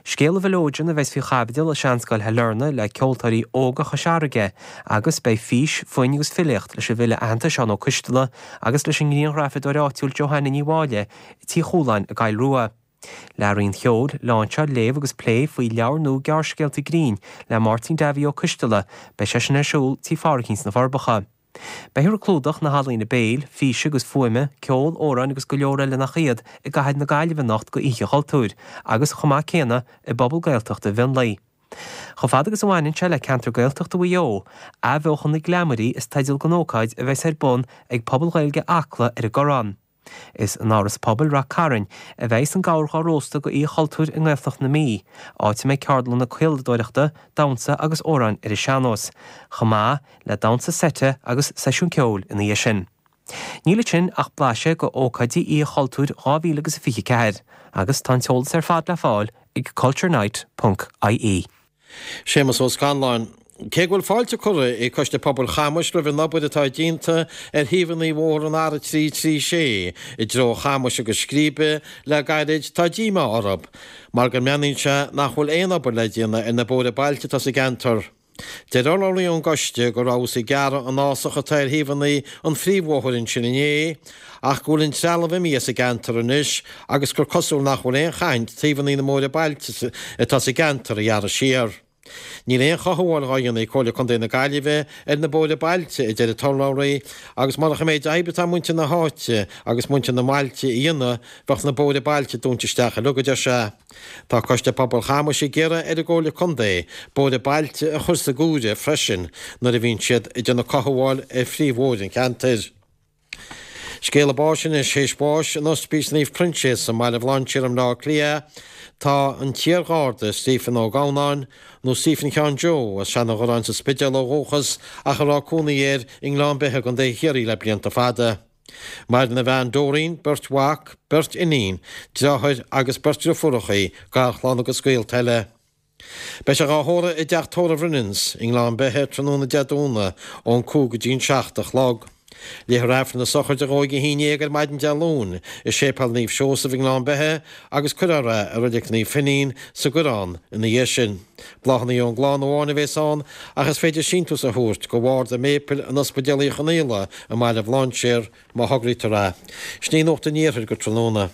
Scéal na bhFileoidean a bheas faoi chaibidil i Seanscoil Shailearna le ceoltóirí óga Chois Fharraige agus beidh fís, foinn agus filíocht leis an bhfile aitheanta Seán Ó Coisteala agus leis an ngrianghrafadóir áitiúil Johanna Ní Mháille i Tí Chualáin i gCoill Rua. Learaí an cheoil, láinseáil, léamh agus plé faoi leabhar nua gearrscéalta grinn le Máirtín Davy Ó Coisteala, beidh sé sin ar siúl Tí Phádraigín sna Forbacha. Beifear ag clúdach na healaíona béil, físe agus fuaime, ceol, amhráin agus go leor eile nach iad i gcathair na Gaillimhe anocht go Oíche Chultúir agus chomh maith céanna i bpobal Gaeltachta Mhionlaigh. Chomh fada agus a bhaineann sé le ceantar Gaeltachta Mhaigh Eo, Athbheochan na gCleamairí is teideal don ócáid a bheas ar bun ag Pobal Ghaeilge Acla ar an gCorrán. Is in Áras Pobail Rath Cairn a bheas an gabhar dhá róstadh go Oíche Chultúir i nGaeltacht na Mí, áit a mbeidh ceardlanna caoladóireachta, damhsa agus amhráin ar an sean-nós, chomh maith le damhsa seite agus seisiún ceoil ina dhiaidh sin. Níl ansin ach blaiseadh go ócáidí Oíche Chultúir dhá mhíle agus a fiche ceathair, agus tá an t-eolas ar fad le fáil ag culturenight ponc ie. Séamus Ó Scanláin. Cé go bhfuil fáilte curtha ag Coiste Pobail Chamais roimh an obair atá déanta ar thaobhanna bhóthar an R trí trí sé i dtreo Chamais agus Scríbe le gairid, tá díomá orthu mar go mbreathnaíonn sé nach bhfuil aon obair le déanamh ar na bóithre bailte atá sa gceantar. Deir urlabhraí ón gcoiste go rabhthas ag gearradh an fhásach atá ar thaobhanna an phríomhbhóthair ansin inné ach go bhfuil an trealamh imithe as an gceantar anois agus gur cosúil nach bhfuil aon chaint taobhanna na mbóithre bailte atá sa gceantar a ghearradh siar. Níl aon chothabháil dhá dhéanamh ag Comhairle Contae na Gaillimhe ar na bóithre bailte, a deir an t-urlabhraí, agus murach an méid oibre atá muintir na háite agus muintir na mbailte a dhéanamh, bheadh na bóithre bailte dúnta isteach uilig, a deir sé. Tá Coiste Pobail Chamais ag iarraidh ar an gComhairle Contae bóithre bailte a chur sa gcomhaireamh freisin nuair a bhíonn siad ag déanamh cothabháil ar phríomhbhóithre an cheantair. Scéala báis anois, théis bháis in Ospís Naomh Proinsias i mBaile Bhlainséir i mBleá Cliath, tá an t-iar-gharda Stephen Ó Gabhnáin, nó Stephen Sheáin Joe, as Seanadh Ghoráin sa Spidéal ó dhúchas ach a raibh cónaí air i nGleann Beithe i gContae Chiarraí le blianta fada. Maireann a bhean Doreen, beirt mhac, beirt iníon, deartháir agus beirt driofúrachaí, garchlann agus gaolta eile. Beidh sé dhá thórramh i dteach tórraimh Rinneane's i nGleann Beithe tráthnóna Dé Domhnaigh ón cúig go dtí an seacht a chlog. Léifear Aifreann na sochraide dhó ag a haon dhéag ar maidin Dé Luain i Séipéal Naomh Seosamh i nGleann Beithe agus cuirfear é i Reilig Naomh Finín sa gCoireán ina dhiaidh sin. Bláthanna ón gclann amháin a bhéas ann ach is féidir síntiús a thabhairt go Bhord an Mhéipil in Ospidéal Uí Chonaola i mBaile Bhlainséir má thograítear é. Sin í Nuacht an Iarthair go tráthnóna.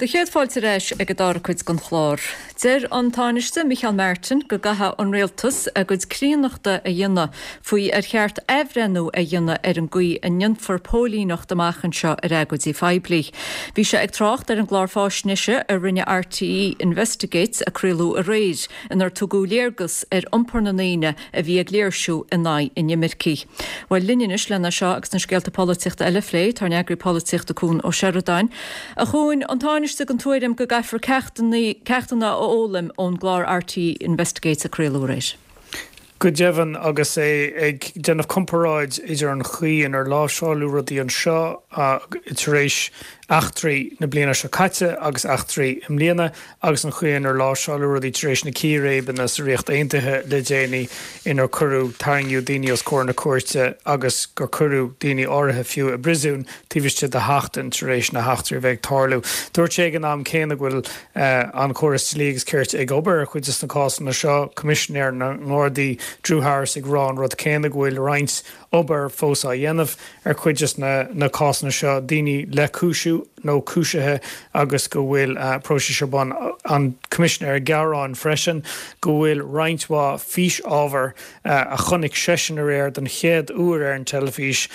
Do chéad fáilte ar ais ag an dara cuid den chlár. Deir an Tánaiste Micheál Martin go gcaithfidh an rialtas a gcuid críonnachta a dhéanamh faoi ar cheart athbhreithniú a dhéanamh ar an gcaoi a ndéanfar póilíneacht amach anseo ar agóidí poiblí. Bhí sé ag trácht ar an gclár faisnéise a rinne RTÉ Investigates a craoladh aréir, inar tugadh léargas ar iompar na ndaoine a bhí ag léirsiú in aghaidh inimircigh. Bhuel linn anois lena seo agus na scéalta polaitíochta eile a phlé, tá ár n-eagraí polaitíochta Cuan Ó Seireadáin. A Chuain, an Tánaiste den tuairim go gcaithfear ceachtanna a fhoghlaim ón gclár RTÉ Investigates a craoladh aréir. Go deimhin, agus é ag déanamh comparáid idir an chaoi inar láimhseáladh rudaí anseo tar éis eachtraí na bliana seo caite agus eachtraí i mbliana agus an chaoi inar láimhseáladh rudaí tar éis na círéibeanna sa Ríocht Aontaithe le déanaí inar cuireadh tarraingíodh daoine os comhair na cúirte agus gur cuireadh daoine áirithe fiú i bpríosún taobh istigh de sheachtain tar éis na heachtraí a bheith ag tarlú. Dúirt sé ag an am céanna go bhfuil an córas dlí agus cirt ag obair ar chuid de na cásanna seo, Coimisinéir na nGardaí Drew Harris ag rá an rud céanna go bhfuil roinnt obair fós á dhéanamh ar chuid de na cásanna seo, daoine le cúisiú nó cúisithe agus go bhfuil próisis ar bun. An Coimisinéir ag gearán freisin go bhfuil roinnt mhaith físábhar a chonaic seisean aréir den chéad uair ar an teilifís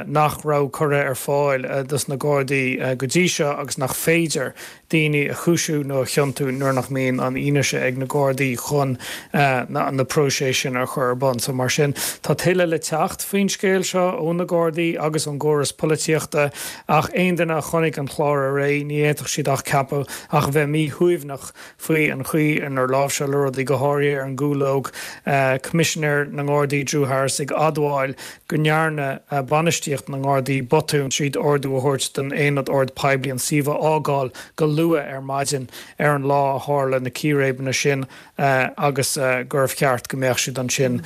nach raibh curtha ar fáil dos na Gardaí go dtí seo agus nach féidir daoine a chúisiú nó a chiontú nuair nach mbíonn an fhianaise ag na Gardaí chun na próiseas sin a chur ar bun. So mar sin, tá tuilleadh le teacht faoin scéal seo ó na Gardaí agus ón gcóras polaitíochta ach aon duine a chonaic an clár aréir, ní fhéadfadh siad ach ceapadh ach a bheith míshuaimhneach faoi an chaoi inar láimhseáladh rudaí, go háirithe ar an gCúlóg. Coimisinéir na nGardaí Drew Harris ag admháil go ndearna bainistíocht na nGardaí botún tríd ordú a thabhairt don Aonad Ord Poiblí an suíomh a fhágáil go luath ar maidin ar an lá a tharla na círéibeanna sin agus gurbh cheart go mbeadh siad ansin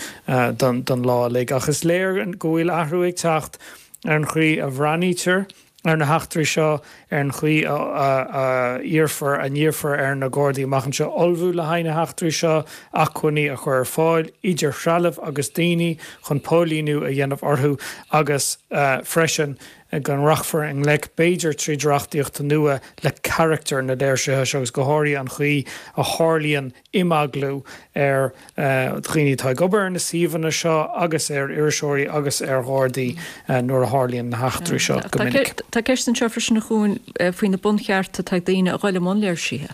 don lá uilig. Ach is léir go bhfuil athrú ag teacht ar an chaoi a bhreathnaítear ar na heachtraí seo, ar an chaoi a iarrfar, a n-iarrfar ar na Gardaí amach anseo ullmhú le haghaidh na heachtraí seo, acmhainní a chur ar fáil, idir threalamh agus daoine, chun póilíniú a dhéanamh orthu agus freisin go rachfar i ngleic, b'fhéidir tríd reachtaíocht nua, le carachtar na léirsithe seo agus go háirithe an chaoi a tharlaíonn imeaglú ar dhaoine atá ag obair ar na suíomhanna seo agus ar iriseoirí agus ar Ghardaí nuair a tharlaíonn na heachtraí seo go minic. Tá ceist anseo freisin a Chuain faoi na bunchearta atá ag daoine a dhul i mbun léirsithe.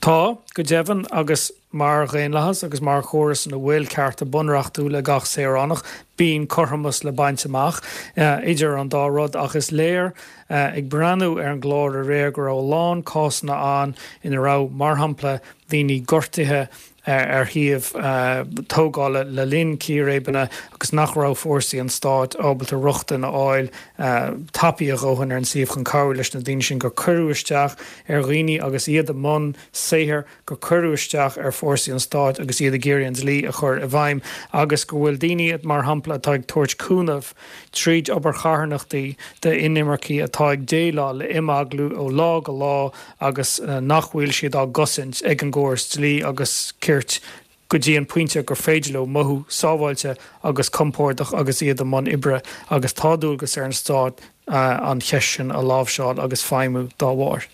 Tá, go deimhin, agus mar dhaonlathas agus mar chóras ina bhfuil cearta bunreachtúla ag gach saoránach, bíonn cothromas le baint amach idir an dá rud. Ach is léir, ag breathnú ar an gclár aréir, go raibh a lán cásanna ann ina raibh, mar shampla, daoine gortaithe ar shuíomh tógála le linn círéibeanna agus nach raibh fórsaí an stáit ábalta rochtain a fháil tapaidh a dhóthain ar an suíomh chun cabhrú leis na daoine sin, gur cuireadh isteach ar dhaoine agus iad i mbun saothair, gur cuireadh isteach ar fórsaí an stáit agus iad ag iarraidh an dlí a chur i bhfeidhm agus go bhfuil daoine, mar shampla, atá ag tabhairt cúnamh tríd obair charthanachtaí d'inimircigh atá ag déileáil le imeaglú ó lá go lá agus nach bhfuil siad á gcosaint ag an gcóras dlí agus cirt go dtí an pointe gur féidir leo mothú sábháilte agus compordach agus iad i mbun oibre agus tá dualgas ar an stát an cheist sin a láimhseáil agus feidhmiú dá bharr.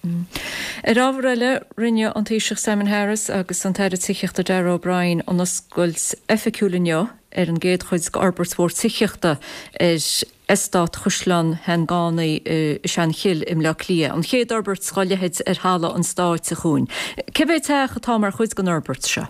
Ar ábhar eile, rinne an Taoiseach Simon Harris agus an tAire Tithíochta Darragh O'Brien an oscailt oifigiúil inniu ar an gcéad chuid d'fhorbairt mhór tithíochta ar Eastát Chaisleán Sheangánaí i Seanchill i mBleá Cliath, an chéad fhorbairt dá leithéid ar thalamh an stáit, a Chuain. Cé mhéad teach atá mar chuid den fhorbairt seo?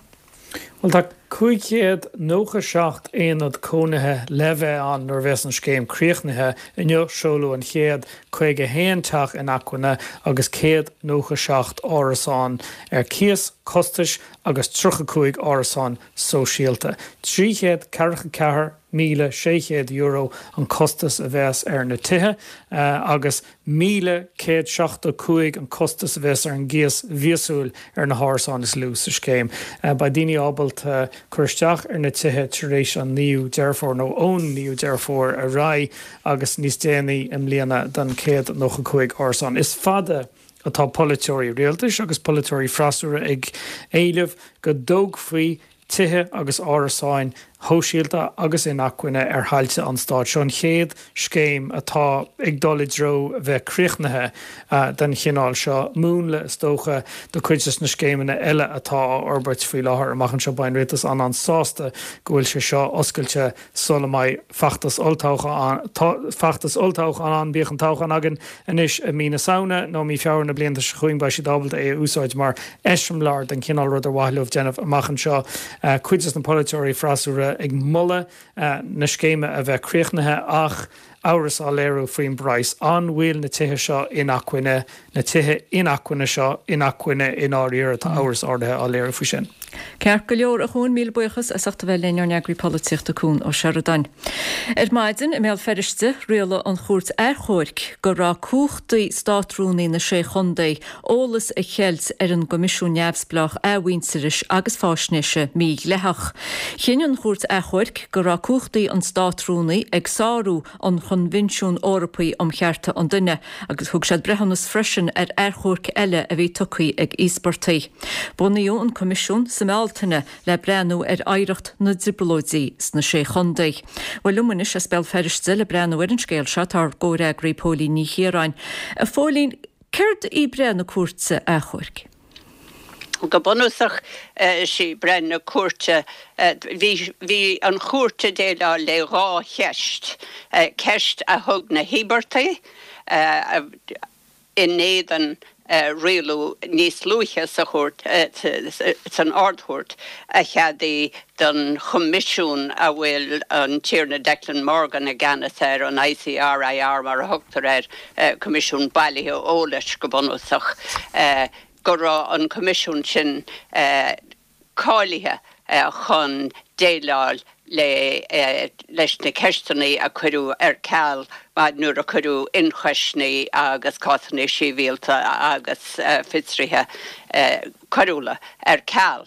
Bhuel, tá cúig chéad nócha seacht aonad cónaithe le bheith ann nuair a bheas an scéim críochnaithe. Inniu, seoladh an chéad caoga a haon teach inacmhainne agus céad nócha seacht árasán ar cíos costais agus tríocha cúig árasán sóisialta. Trí chéad ceathracha ceathair míle sé chéad euro an costas a bheas ar na tithe agus míle céad seachtó cúig an costas a bheas ar an gcíos mhíosúil ar na hárasáin is lú sa scéim. Beidh daoine ábalta cur isteach ar na tithe tar éis an naoú Deireadh Fómhair nó ón naoú Deireadh Fómhair ar aghaidh agus níos déanaí i mbliana don céad nócha cúig árasán. Is fada atá polaiteoirí rialtais agus polaiteoirí freasúra ag éileamh go dtógfaí tithe agus árasáin shóisialta agus inacmhainne ar thailte an stáit. Seo an chéad scéim atá ag dul i dtreo bheith críochnaithe den chineál seo, múnla is dócha do chuid de na scéimeanna eile atá á fhorbairt faoi láthair amach anseo. Beidh an rialtas an-an-sásta go bhfuil sé seo oscailte sula mbeidh feachtas olltoghcháin feachtas olltoghcháin ann. Bíodh an toghchán againn anois i mí na Samhna nó mí Feabhra na bliana seo chugainn, beidh siad ábalta é a úsáid mar eiseamláir den chineál rud ar mhaith leo déanamh amach anseo. Cuid de na polaiteoirí freasúra ag moladh na scéime a bheith críochnaithe ach amhras á léiriú faoin bpraghas. An bhfuil na tithe seo inacmhainne, na tithe inacmhainne seo inacmhainne i ndáiríre? Tá amhras áirithe á léiriú faoi sin. Ceart go leor, a Chuain, míle buíochas as ucht a bheith linn, ár n-eagraí polaitíochta Cuan Ó Seireadáin. Ar maidin i mBéal Feirste, rialaigh an Chúirt Achomhairc go raibh cumhachtaí Státrúnaí na Sé Chontae eolas a cheilt ar an gCoimisiún Neamhspleách Athmhuintearais agus Faisnéise mídhleathach. Chinn an Chúirt Achomhairc go raibh cumhachtaí an Státrúnaí ag sárú an Choinbhinsiúin Eorpaigh um Chearta an Duine agus thug siad breithiúnas freisin ar achomharc eile a bhí tugtha ag íospartaigh. Bunaíodh an Coimisiún sa mBealtaine le breathnú ar oidhreacht na dTrioblóidí sna Sé Chontae. Bhuel, liom anois as Béal Feirste le breathnú ar an scéal seo tá ár gcomhfhreagraí Póilín Ní Chiaráin. A Phóilín, céard í breith na cúirte achomhairc? Go bunúsach, is í breith na cúirte, bhí bhí an chúirt ag déileáil le dhá cheist, ceist a thug na híobartaigh in éadan rialú níos luaithe sa chúirt, san Ard-Chúirt, a cheadaigh don Choimisiún a bhfuil an Tiarna Declan Morgan i gceannas air, an ICRIR mar a thugtar air, Coimisiún Bailithe Eolais go bunúsach, go raibh an Coimisiún sin cáilithe chun déileáil le leis na ceisteanna a cuireadh ar ceal nuair a cuireadh ionchoisní agus cásanna sibhialta agus fiosruithe coiriúla ar ceal.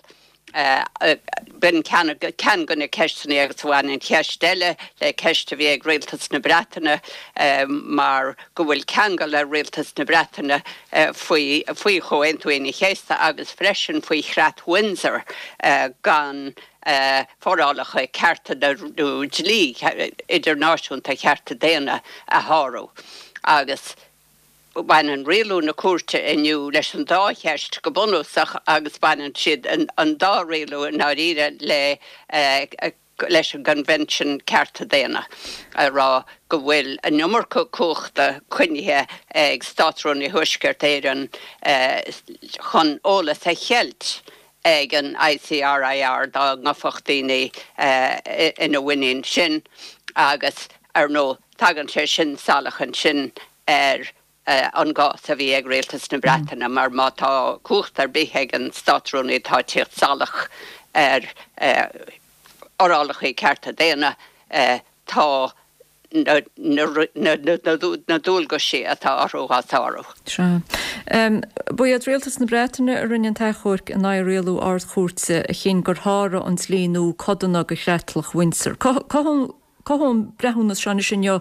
B'in ceann de na ceisteanna agus bhain an cheist eile le ceist a bhí ag Rialtas na Breataine mar go bhfuil ceangal ar Rialtas na Breataine faoi faoi Chomhaontú Aoine an Chéasta agus freisin faoi Chreat Windsor gan forálacha cearta nó dlí idirnáisiúnta chearta daonna a shárú agus Baineann rialú na cúirte inniu leis an dá cheist go bunúsach agus baineann siad an dá rialú i ndáiríre le leis an gCoinbhinsiún Cearta Daonna, a rá go bhfuil an iomarca cumhachta coinnithe ag Státrúnaí Thuaisceart Éireann chun eolas a cheilt ag an ICRIR dá ngabhfadh daoine ina mhuinín sin agus, ar ndóigh, tagann sé sin salach ansin ar an gcás a bhí ag Rialtas na Breataine mar má tá cumhacht ar bith ag an Státrúnaí atá ag tíocht salach ar fhorálacha cearta daonna, tá na dualgaisí atá orthu á sárú. Sea. Ba iad Rialtas na Breataine a rinne an t-achomharc in aghaidh rialú Ard-Chúirte a chinn gur sháraigh an dlí nua codanna de Chreatlach Windsor. Cothaíonn an breithiúnas seo anois inniu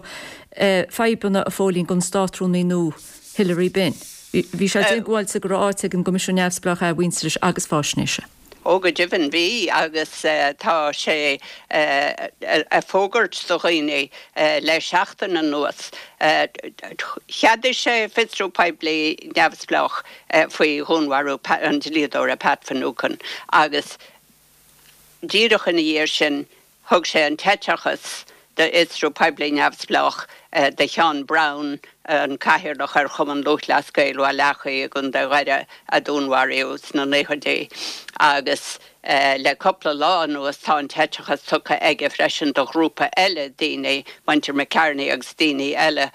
fadhbanna, a Phóilín, don Státrúnaí nua Hilary Benn. Bhí sé diongbháilte go raibh áit ag an gCoimisiún Neamhspleách Athmhuintearais agus Faisnéise. Ó go deimhin bhí agus tá sé ag fógairt do dhaoine le seachtain anuas. Cheadaigh sé fiosrú poiblí neamhspleách faoi dhúnmharú an dlíodóra Pat Finucane agus díreach ina dhiaidh sin Thug sé an t-eiteachas d'fhiosrú poiblí neamhspleách do Sheán Browne, an cathaoirleach ar Chumann Lúthchleas Gael Bhaile Eachaidh i gContae Dhoire a dúnmharaíodh sna naochaidí agus le cúpla lá anuas tá an t-eiteachas tugtha aige freisin do ghrúpa eile daoine, muintir McCartney agus daoine eile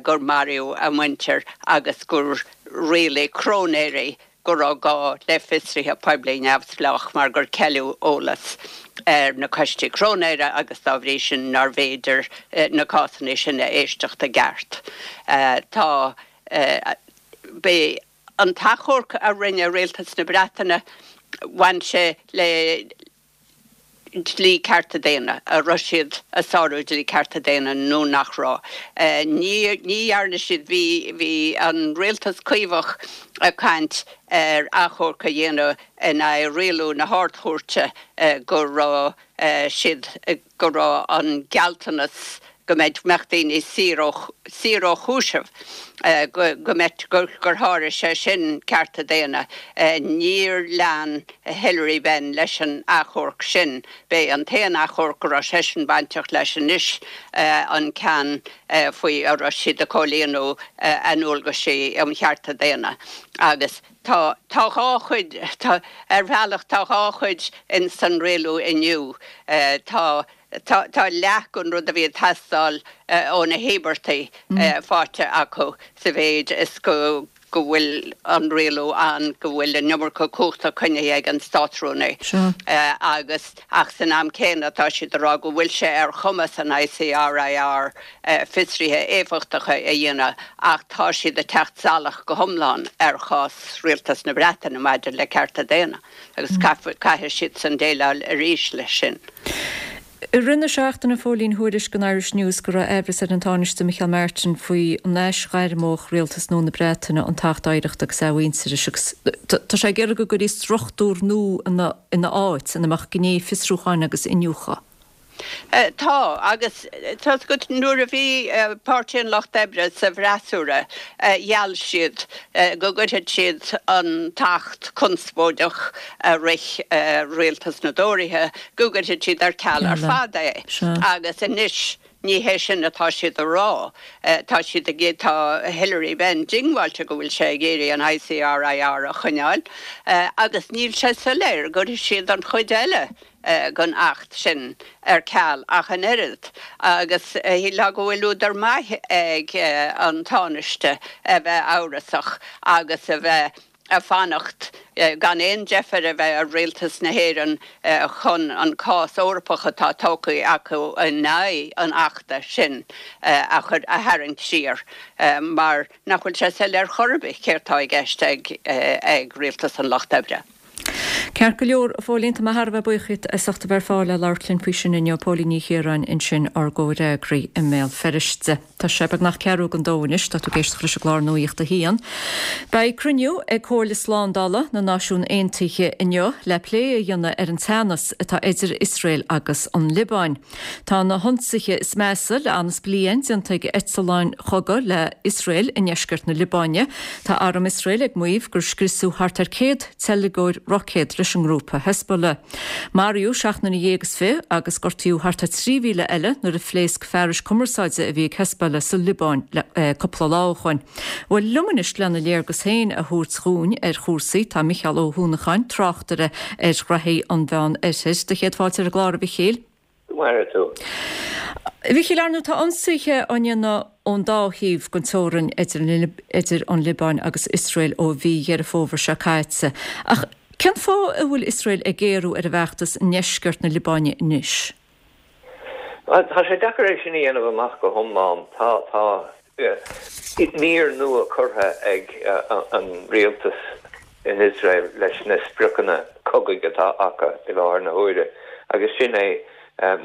gur maraíodh a muintir agus gur rialaigh cróinéirí go raibh gá le fiosruithe poiblí neamhspleách mar gur ceileadh eolas ar na coistí cróinéara agus dá bhrí sin nárbh fhéidir na cásanna sin a éisteacht i gceart. Tá B'é an t-achomharc a rinne Rialtas na Breataine, bhain sé le dlí cearta daonna, an raibh siad ag sárú dlí cearta daonna nó nach raibh. Ní dhearna siad, bhí bhí an rialtas Caomhach ag caint ar achomharc a dhéanamh in aghaidh rialú na hArd-Chúirte go raibh siad, go raibh an gealltanas go mbeadh daoine saor ó saor ó chúiseamh, go go mbeadh gur sháraigh sé sin cearta daonna. Níor lean Hilary Benn leis an achomharc sin. B'é an t-aon achomharc go raibh seisean bainteach leis anois an ceann faoi a raibh siad ag comhlíonadh a ndualgaisí um chearta daonna. Agus tá tá dhá chuid, tá ar bhealach tá dhá chuid in san rialú inniu. Tá Tá tá leath den rud a bhí ag teastáil ó na híobartaigh faighte acu sa mhéid is go go bhfuil an rialú ann go bhfuil an iomarca cumhachta coinnithe ag an Státrúnaí agus ach san am céanna tá siad ag rá go bhfuil sé ar chumas an ICRIR fiosruithe éifeachtacha a dhéanamh ach tá siad ag teacht salach go hiomlán ar chás Rialtas na Breataine maidir le cearta daonna agus caithfidh siadsan déileáil arís leis sin. I rith na seachtaine, a Phóilín, thuairisc an Irish News go raibh aimhreas ar an Tánaiste Micheál Martin faoi an aisghairmeodh rialtas nua na Breataine an tAcht Oidhreachta agus Athmhuintearais agus tá sé ag iarraidh go gcuirfí struchtúr nua ina áit ina mbeadh gné fiosrúcháin agus iniúchadh. Tá, agus tá's agat nuair a bhí Páirtí an Lucht Oibre sa bhfreasúra, gheall siad go gcuirfeadh siad an tAcht conspóideach a rith rialtas na dTóraithe, go gcuirfeadh siad ar ceal ar fad é. Agus anois ní hé sin atá siad a rá. Tá siad ag, tá Hilary Benn diongbháilte go bhfuil sé ag iarraidh an ICRIR a choinneáil agus níl sé soiléir go gcuirfidh siad an chuid eile den Acht sin ar ceal ach an oiread, agus shílfeá go bhfuil údar maith ag an Tánaiste a bheith amhrasach agus a bheith ag fanacht gan aon deifir a bheith ar Rialtas na hÉireann chun an cás Eorpach atá tógtha acu in aghaidh an Achta sin a chur, a tharraingt siar mar nach bhfuil sé soiléir chor ar bith céard tá i gceist ag Rialtas an Lucht Oibre. Ceart go leor, a Phóilín, tá mé thar a bheith buíoch díot as ucht a bheith ar fáil le labhairt linn faoi sin inniu. Póilín Ní Chiaráin ansin, ár gcomhfhreagraí i mBéal Feirste. Tá sé beagnach ceathrú don dó anois, tá tú ag éisteacht leis an gclár Nuacht a hAon. Beidh cruinniú ag Comhairle Slándála na Náisiún Aontaithe inniu le plé a dhéanamh ar an teannas atá idir Iosrael agus an Liobáin. Tá na hionsaithe is measa le fhad is bliain déanta ag eitleáin chogaidh le Iosrael i ndeisceart na Liobáine. Tá arm Iosrael ag maíomh gur scriosadh thart ar céad teilgeoir roicéad leis an ngrúpa Hezbollah. Maraíodh seacht nduine dhéag is fiche agus gortaíodh thart ar trí mhíle eile nuair a phléasc fearais cumarsáide a bhí ag Hezbollah sa Liobáin cúpla lá ó shoin. Bhuel, liom anois lena léargas féin a thabhairt dhúinn ar chúrsaí tá Micheál Ó hUanacháin, tráchtaire ar ghraithí an Mheán Oirthir. Do chéad fáilte ar an gclár, a Mhichíl. Go maire tú. A Mhichíl, ar ndóigh tá ionsaithe á ndéanamh ón dá thaobh den teorainn idir an Liobáin agus Iosrael ó mhí Dheireadh Fómhair seo caite. Ach cén fáth a bhfuil Iosrael ag géarú ar a bhfeachtas i ndeisceart na Liobáine anois? Bhuel, tá sé deacair é sin a dhéanamh amach go hiomlán. Tá, tá mír nua curtha ag an rialtas in Iosrael leis na spriocanna cogaidh atá acu i láthair na huaire agus sin é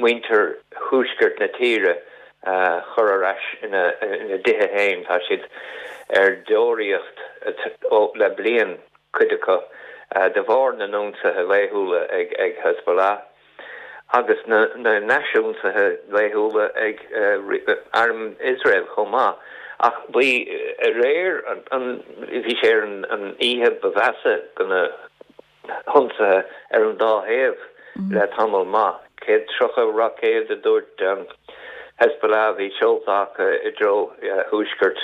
muintir thuaisceart na tíre a chur ar ais ina dtithe féin. Tá siad ar deoraíocht le bliain, cuid acu, de bharr na n-ionsaithe laethúla ag Hezbollah agus na n-aisionsaithe laethúla ag arm Iosrael chomh maith. Ach bhí aréir, bhí sé ar an oíche ba mheasa de na hionsaithe ar an dá thaobh le tamall maith. Céad tríocha roicéad a dúirt Hezbollah a bhí seolta acu i dtreo thuaisceart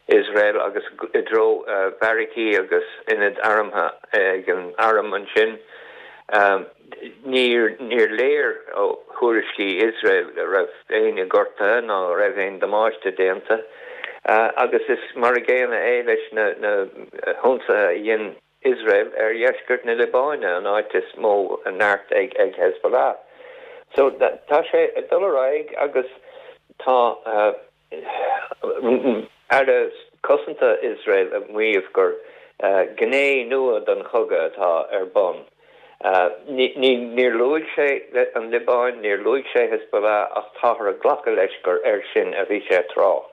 Iosrael agus i dtreo beairicí agus ionaid armtha ag an arm ansin. Níor léir ó thuairiscí Iosrael go raibh éinne gortaithe ná go raibh aon damáiste déanta agus is mar a gcéanna é leis na hionsaithe a dhein Iosrael ar dheisceart na Liobáine, an áit is mó neart ag Hezbollah. So tá sé ag dul ar aghaidh agus tá Aire Cosanta Iosrael ag maíomh gur gné nua den chogadh atá ar bun Níor luaigh sé an Liobáin, níor luaigh sé Hezbollah ach táthar ag glacadh leis gur air sin a bhí sé ag trácht.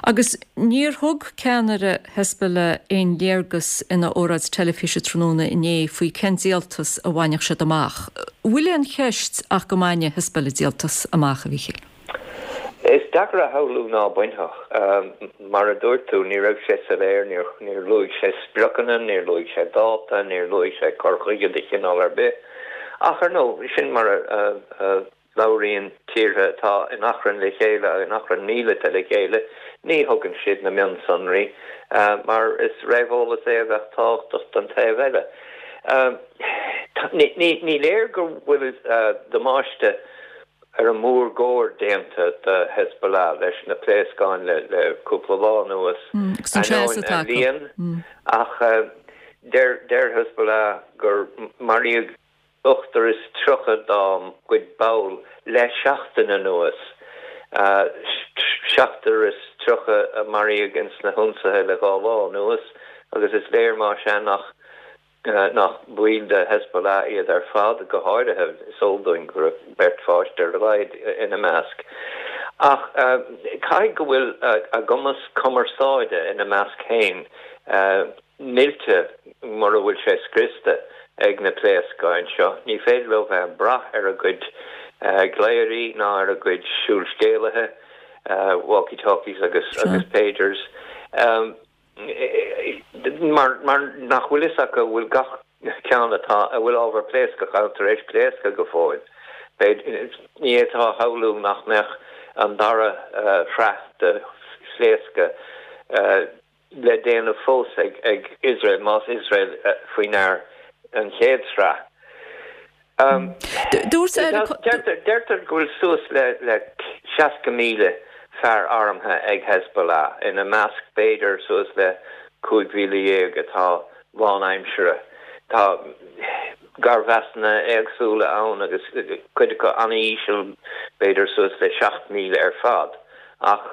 Agus níor thug ceannaire Hezbollah aon léargas ina óráid teilifíse tráthnóna inné faoi cén díoltas a bhainfeadh siad amach. Bhfuil aon cheist ach go mbainfidh Hezbollah díoltas amach, a Mhíchíl? Is deacair a shamhlú ná bainfeadh. Mar a dúirt tú, ní raibh sé soiléir, níor luaigh sé spriocanna, níor luaigh sé dáta, níor luaigh sé cur chuige de chineál ar bith. Ach ar ndóigh, sin mar a labhraíonn tíortha atá in achrann le chéile, in achrann míleata le chéile, ní thugann siad na mionsonraí mar is réamheolas é a bheadh tábhachtach don taobh eile. Ní léir go bhfuil damáiste ar an mórgóir déanta do Hezbollah leis na pléascáin le cúpla lá anuas, ainneoin a líon, ach deir Hezbollah gur maraíodh ochtar is tríocha dá gcuid ball le seachtain anuas, seachtar is tríocha a maraíodh ins na hionsaithe le dhá lá anuas, agus is léir más ea nach nach baill de Hezbollah iad ar fad, go háirithe is eol dúinn go raibh beirt pháiste ar a laghad ina measc. Ach caithfidh go bhfuil a gcumas cumarsáide ina measc féin millte, mura bhfuil sé scriosta, ag na pléascáin seo. Ní féidir leo bheith ag brath ar a gcuid glaoirí ná ar a gcuid siúlscéalaithe, walkie-talkies agus pagers. Mar nach bhfuil fhios acu an bhfuil gach ceann atá, a bhfuil ábhar pléascach ann tar éis pléascadh go fóill. Ní fhéadfá a shamhlú nach mbeadh an dara shraith de phléascadh le déanamh fós ag Iosrael, más Iosrael faoi ndear an chéad sraith. Deirtear go bhfuil suas le seasca míle fear armtha ag Hezbollah, ina measc b'fhéidir suas le cúig mhíle dhéag atá lánaimseartha. Tá garmheasanna éagsúla ann agus cuid acu an-íseal, b'fhéidir suas le seacht míle ar fad. Ach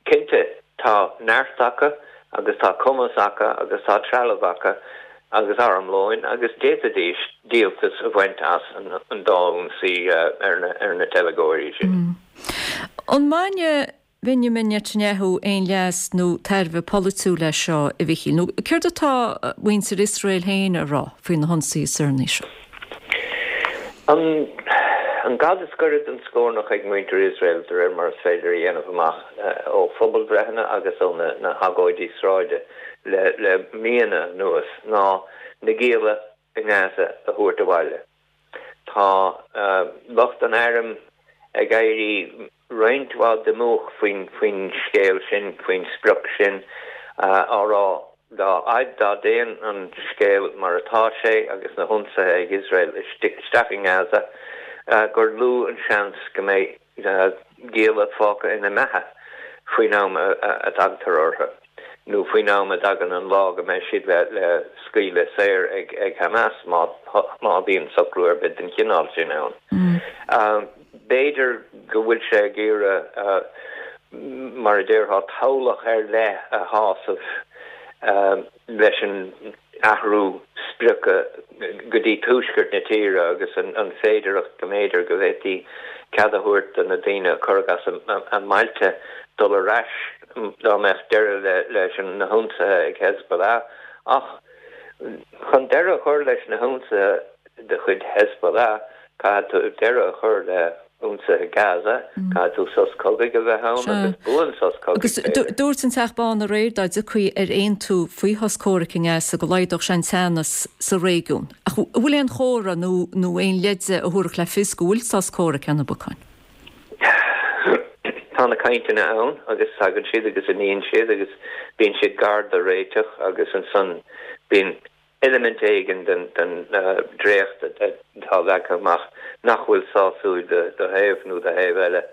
Cinnte, tá neart acu agus tá cumas acu agus tá trealamh acu agus armlóin agus d'fhéadfaidís díoltas a bhaint as an dá ionsaí ar na teilgeoirí sin. An mbainfidh Benjamin Netanyahu aon leas nó tairbhe polaitiúil as seo, a Mhichíl? Nó céard atá muintir Iosrael féin a rá faoi na hionsaithe is deireanaí seo? An gad is gaire don scornach ag muintir Iosrael, de réir mar is féidir a dhéanamh amach ó phobalbhreitheanna agus ó na hagóidí sráide le míonna anuas, ná na gialla i nGaza a thabhairt abhaile. Tá lucht an airm ag éirí roinnt mhaith diomúch faoin scéal sin, faoin sprioc sin, á rá Dá fhaid dá dtéann an scéal mar atá sé agus na hionsaithe ag Iosrael isteach i nGaza, gur lú an seans go mbeidh gialla fágtha ina mbeatha faoin am a dtagtar orthu, nó faoin am a dtagann an lá go mbeidh siad le scaoileadh saor ag Hamas, má bhíonn socrú ar bith den chineál sin ann. B'fhéidir go bhfuil sé ag iarraidh, mar a déarfá, toghlach ar leith a shásamh leis an athrú sprioca go dtí tuaisceart na tíre agus an féidearthacht go mb'fhéidir go bhféadfaí cead a thabhairt do na daoine a cuireadh as a mbailte dul ar ais dá mbeadh deireadh leis na hionsaithe ag Hezbollah. Ach chun deireadh a chur leis na hionsaithe de chuid Hezbollah, caithfidh tú deireadh a chur le hionsaithe Gaza, caithfidh tú sos cogaidh a bheith ann agus buan-sos cogaidh, Agus b'fhéidir. dúirt an Teach Bán aréir dá dtiocfaí ar aontú faoi shos comhraic i nGaza go laghdódh sé an teannas sa réigiún. Ach an bhfuil aon chomhartha nó nó aon leide a thabharfadh le fios go bhfuil sos comhraic ar na bacáin? Tá na cainteanna ann agus tagann siad agus imíonn siad agus bíonn siad gar do réiteach agus ansan bíonn eilimint éigin den dréacht atá leagtha amach nach bhfuil sásúil do thaobh nó do thaobh eile.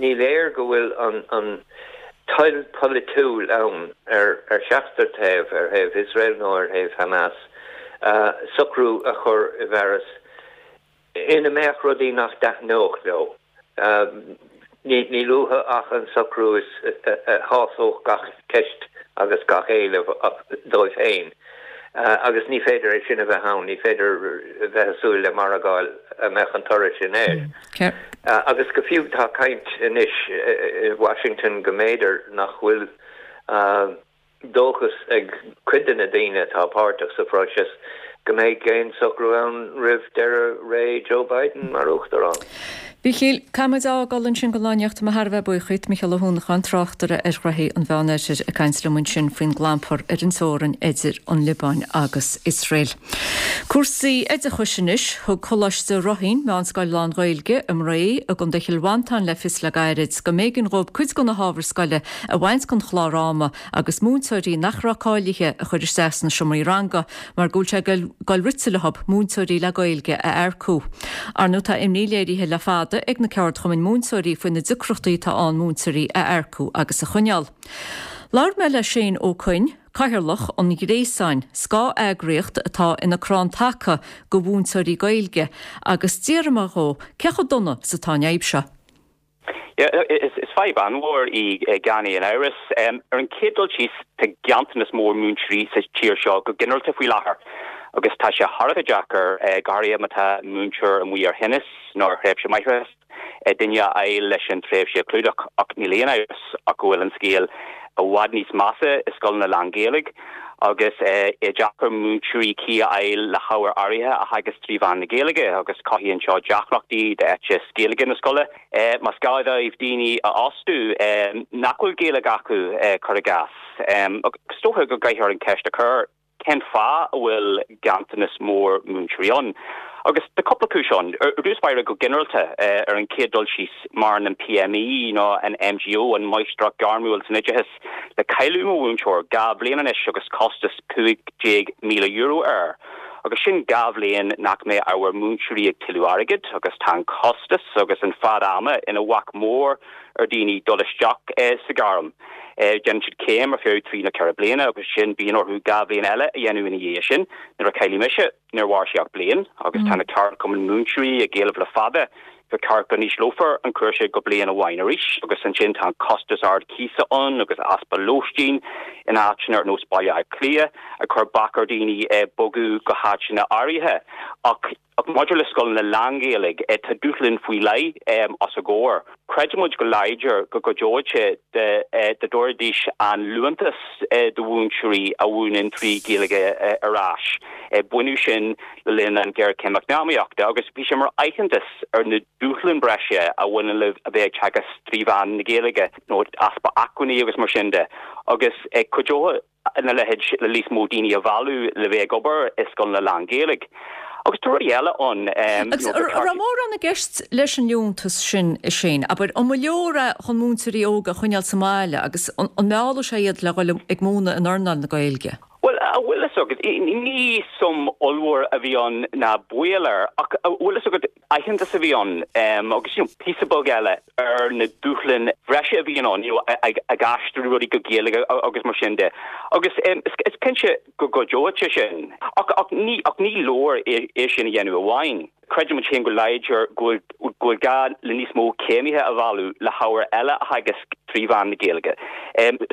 Ní léir go bhfuil an toil pholaitiúil ann ar cheachtar taobh, ar thaobh Iosrael nó ar thaobh Hamas, socrú a chur i bhfearas ina mbeadh rudaí nach dtaitneodh leo. Níl uathu ach an socrú a shásódh gach ceist agus gach éileamh dóibh féin. Agus ní féidir é sin a bheith ann, ní féidir a bheith ag súil le margáil a mbeadh an toradh sin air. Agus go fiú tá caint anois i Washington go mb'fhéidir nach bhfuil dóchas ag cuid de na daoine atá páirteach sa phróiseas go mbeidh aon socrú ann roimh deireadh ré Joe Biden mar uachtarán. Mhichíl, caithfimid a fhágáil ansin go lá anocht. Tá mé thar a bheith buíoch díot, Micheál Ó hUanacháin, tráchtaire ar ghnoithí an Mheánoirthir, ag caint liom ansin faoin gclampar ar an teorainn idir an Liobáin agus Iosrael. Cúrsaí oideachais anois. Thug Coláiste Ráithín, meánscoil lán-Ghaeilge i mBré i gContae Chill Mhantáin le fios le gairid go mb'éigean dhóibh cuid de na hábhair scoile a bhaint den chlár ama agus múinteoirí nach raibh cáilithe a chur isteach sna seomraí ranga mar go bhfuil sé ag dul rite leo múinteoirí le Gaeilge a earcú. Ar ndóigh tá imní léirithe le fada ag na ceardchumainn múinteoirí faoi na deacrachtaí atá ann múinteoirí a earcú agus a choinneáil. Labhair mé le Shane Ó Coinn, Cathaoirleach an Ghréasáin, scáth-eagraíocht atá ina crann taca do mhúinteoirí Gaeilge, agus d'fhiafraigh mé dhó cé chomh dona is atá an fhadhb seo. Is fadhb an-mhór í gan aon amhras. Ar an chéad dul síos, tá ganntanas mór múinteoirí sa tír seo go ginearálta faoi láthair agus tá sé thar a bheith deacair, go háirithe má tá múinteoir amuigh ar thinneas nó ar thréimhse máithreachais, duine a fháil leis an tréimhse a chlúdach. Ach níl aon amhras ach go bhfuil an scéal i bhfad níos measa i scoileanna lán-Ghaeilge agus é deacair múinteoirí cuí a fháil le hábhair áirithe a theagasc trí mheán na Gaeilge agus cothaíonn seo deacrachtaí d'éiteas Gaeilge na scoile. Más gá dóibh daoine a fhostú nach bhfuil Gaeilge acu, cuir i gcás. Agus is dócha go gcaithfear an cheist a chur, cén fáth a bhfuil ganntanas mór múinteoirí ann? Agus tá cúpla cúis ann. Ar dtús báire, go ginearálta, ar an chéad dul síos, maireann an PME nó an MGO, an Máistreacht Ghairmiúil san Oideachas, le cailleadh mo mhúinteoir dhá bhliain anois agus costas cúig déag míle euro air. Agus sin dhá bhliain nach mbeidh ábhar múinteoirí ag tuilleamh airgid agus tá an costas agus an fad ama ina bhac mór ar dhaoine dul isteach sa ghairm. Déanann siad céim ar feadh trí nó ceithre bliana agus ansin bíonn orthu dhá bhliain eile a dhéanamh ina dhiaidh sin. Nuair a cailleadh mise, níor mhair sé ach bliain agus tá na ceardchumainn múinteoirí ag éileamh le fada gur ceart go n-ísleofar an cúrsa go bliain amháin arís agus ansin tá an costas ard cíosa ann agus easpa lóistín in áiteanna ar nós Baile Átha Cliath ag cur bac ar dhaoine bogadh go háiteanna áirithe. Ach Ach maidir le scoileanna lán-Ghaeilge, tá dúshlán faoi leith os a gcomhair. Creidimid go láidir go gcuideodh sé dá dtabharfaidís an liúntas do mhúinteoirí a mhúineann trí Ghaeilge ar ais. Baineadh sin le linn an ghéarchéim eacnamaíochta agus bhí sé mar aitheantas ar na dúshláin breise a bhaineann le a bheith ag teagasc trí mheán na Gaeilge, nó easpa acmhainní agus mar sin de. Agus cuideodh a leithéid le níos mó daoine a mhealladh le bheith ag obair i scoileanna lán-Ghaeilge. Agus tá rudaí eile ann. Agus an raibh mórán i gceist leis an liúntas sin, a Shane? Abair, an mba leor é chun múinteoirí óga a choinneáil sa mbaile agus an meallfadh sé iad le dhul ag múineadh in earnáil na Gaeilge? Bhuel, a bhfuil fhios agat, ní suim ollmhór a bhí ann ná baol air, ach a bhfuil fhios agat, aitheantas a bhí ann agus you know píosa beag eile ar na dúshláin bhreise a bhíonn ann you know ag aistriú rudaí go Gaeilge agus mar sin de. Agus is cinnte go gcuideoidh sé sin. Ach ach ní ach ní leor é sin a dhéanamh amháin. Creidimid féin go láidir go bhfuil go bhfuil gá le níos mó céimithe a mhealladh le hábhair eile a theagasc trí mheán na Gaeilge.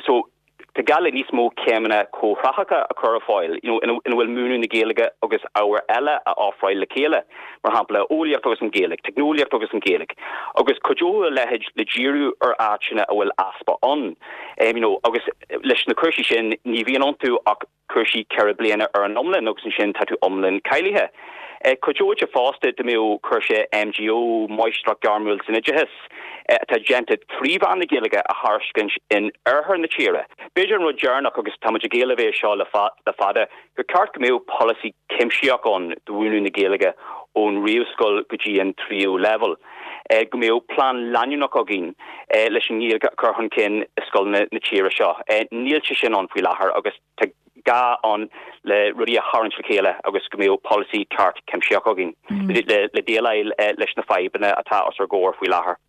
So Tá gá le níos mó céimeanna comhthráthacha a chur ar fáil, you know, ina bhfuil múineadh na Gaeilge agus ábhair eile á ofráil le chéile, mar shampla, eolaíocht agus an Ghaeilge, teicneolaíocht agus an Ghaeilge, agus cuideoidh a leithéid le díriú ar áiteanna a bhfuil easpa ann. You know, agus leis na cúrsaí sin, ní bhíonn iontu ach cúrsaí ceithre bliana ar an iomlán agus ansin tá tú iomlán cáilithe. Cuideoidh sé fosta dá mbeadh cúrsa MGO, Máistreacht Ghairmiúil san Oideachas, atá déanta trí mheán na Gaeilge a thairiscint in oirthear na tíre. B'fhéidir an rud deireanach, agus táimid ag éileamh é seo le fada, gur ceart go mbeadh polasaí cuimsitheach ann do mhúineadh na Gaeilge ón réamhscoil go dtí an tríú leibhéal, go mbeadh plean leanúnach againn leis an nGaeilge a chur chun cinn i scoileanna na tíre seo. Níl sé sin ann faoi láthair agus tá gá ann le rudaí a tharraingt le chéile agus go mbeadh polasaí ceart cuimsitheach againn le déileáil leis na fadhbanna atá os ár gcomhair faoi láthair.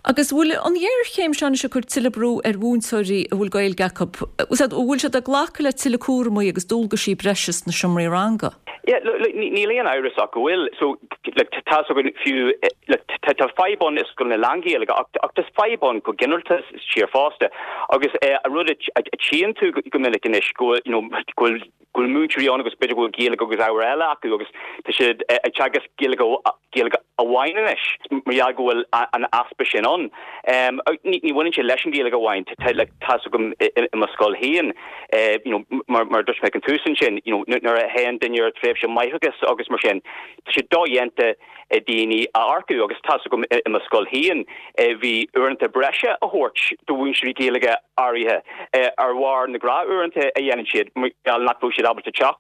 Agus bhfuil an ghéarchéim seo anois ag cur tuilleadh brú ar mhúinteoirí a bhfuil Gaeilge acu? An bhfuil siad ag glacadh le tuilleadh cúramaí agus dualgaisí breise sna seomraí ranga? Yeah, look, níl aon amhras ach go bhfuil. So, like, tá fhios againn fiú, like, tá fadhb ann i scoileanna lán-Ghaeilge ach, ach tá fadhb ann go ginearálta sa tír fosta. Agus eh, an rud a tchíonn tú go minic anois go bhfuil, you know, go bhfuil, go go bhfuil múinteoirí ann agus b'fhéidir go bhfuil Gaeilge agus ábhar eile acu agus tá siad ag teagasc Gaeilge Gaeilge amháin anois mar gheall go bhfuil an easpa sin ann. Ní bhaineann sé leis an Ghaeilge amháin, like tá's agam i mo scoil féin, you know, mar mar a dúirt mé ag an tús ansin, you know, nuair a théann duine ar tréimhse máithreachais agus mar sin, tá sé dodhéanta daoine a earcú agus tá's agam i mo scoil féin bhí uaireanta breise a thabhairt do mhúinteoirí Gaeilge áirithe ar bharr na gnáthuaireanta a dhéanann siad mar gheall nach raibh siad ábalta teacht